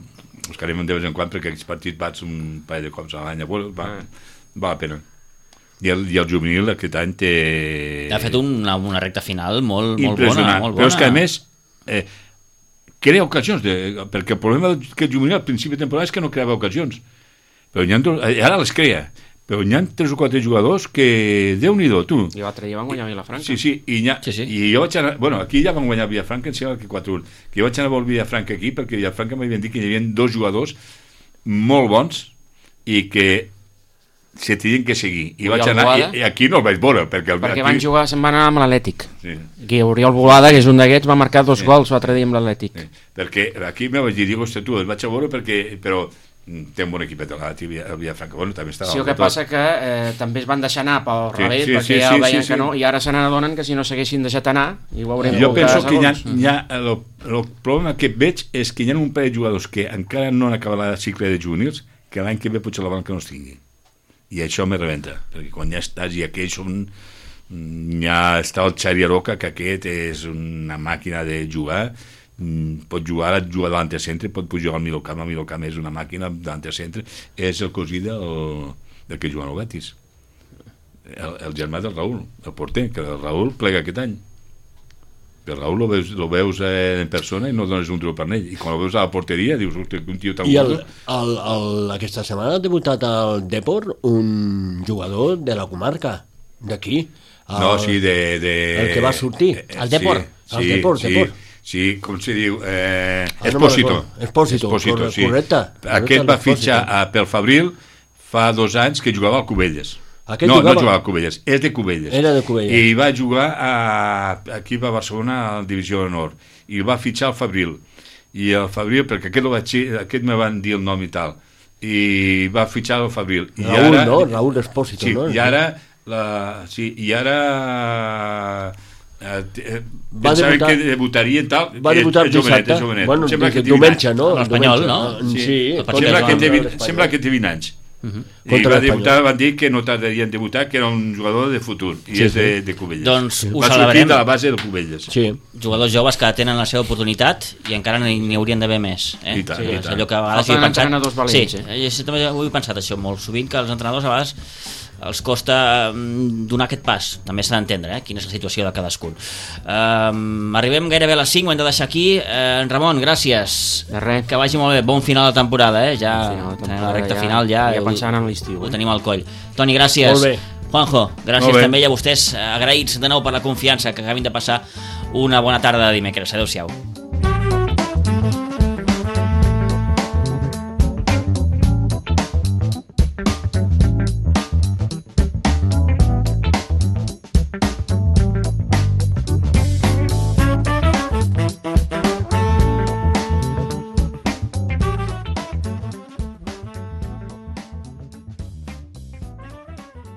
Speaker 2: buscarem de vez en quan perquè aquests partits bats un parell de cops a l'any, val la pena. I el juvenil aquest any té...
Speaker 1: Ha fet una recta final molt bona.
Speaker 2: Però és que a més crea ocasions, perquè el problema que juvenil al principi de temporada és que no creava ocasions, però ara les crea, però hi ha 3 o 4 jugadors que, Déu-n'hi-do, tu.
Speaker 4: I l'altre dia van guanyar Vilafranca.
Speaker 2: Sí, i jo vaig anar, bueno, aquí ja van guanyar Vilafranca, em sembla que 4-1, que jo vaig anar a veure Vilafranca aquí, perquè Vilafranca m'havien dit que hi havia 2 jugadors molt bons i que se tenien que seguir, i vaig anar, i aquí no el vaig veure, perquè
Speaker 4: van jugar, se'n van anar amb l'Atlètic, que Oriol Bolada, que és un d'aquests, va marcar 2 gols l'altre dia amb l'Atlètic,
Speaker 2: perquè aquí me vaig dir, hosti, tu, el vaig a veure però té un bon equipet a Vilafranca, bueno, també està
Speaker 4: sí, el que passa que també es van deixar anar pel revés, perquè ja veien que no, i ara se n'adonen que si no s'haguessin deixat anar, i ho veurem.
Speaker 2: Jo penso que el problema que veig és que hi ha un parell de jugadors que encara no han acabat el cicle de júniors, que l'any que ve potser la banca no es tingui, i això me rebenta, perquè quan ja estàs i aquells són, ja està el Xavi Aroca, que aquest és una màquina de jugar, pot jugar davant de centre, pot jugar al Milocam és una màquina davant de centre, és el cosí del que juga al Betis, el germà del Raúl, el porter, que el Raúl plega aquest any. El Raúl lo veus en persona i no dones un tro per ell, i quan lo veus a la porteria dius, hosti, un tio tan
Speaker 3: guapo. I aquesta setmana ha debutat al Depor un jugador de la comarca d'aquí, el que va sortir al Depor,
Speaker 2: sí, com se diu, Espósito,
Speaker 3: correcte.
Speaker 2: Aquest va fitxar pel Fabril fa 2 anys que jugava al Cubelles. No jugava a Cubelles, és de Cubelles.
Speaker 3: Era de Cubelles.
Speaker 2: I va jugar aquí a Barcelona a la Divisió d'Honor. I el va fitxar al Fabril. I el Fabril, perquè aquest me van dir el nom i tal. I va fitxar al Fabril.
Speaker 3: Raúl Espósito, no?
Speaker 2: I ara... pensaven que debutarien tal.
Speaker 3: Va debutar dissabte. Bueno, diumenge, no?
Speaker 1: L'Espanyol, no?
Speaker 3: Sí.
Speaker 2: Sembla que té 20 anys. I va debutar, van dir que no tardarien en debutar, que era un jugador de futur, i és de Cubelles.
Speaker 1: Doncs ho
Speaker 2: va sortir de la base de Cubelles.
Speaker 1: Jugadors joves que tenen la seva oportunitat i encara n'hi haurien d'haver més.
Speaker 2: I tant.
Speaker 1: Allò que a vegades
Speaker 4: he pensat,
Speaker 1: també ho he pensat això molt sovint, que els entrenadors a vegades els costa donar aquest pas, també s'ha d'entendre quina és la situació de cadascun. Arribem gairebé a les 5, ho hem de deixar aquí. Ramon, gràcies, que vagi molt bé, bon final de temporada, ja la recta final ja
Speaker 4: pensant en l'estiu,
Speaker 1: ho tenim al coll. Toni, gràcies. Juanjo, gràcies també, i a vostès agraïts de nou per la confiança, que acabin de passar una bona tarda de dimecres. Adéu-siau.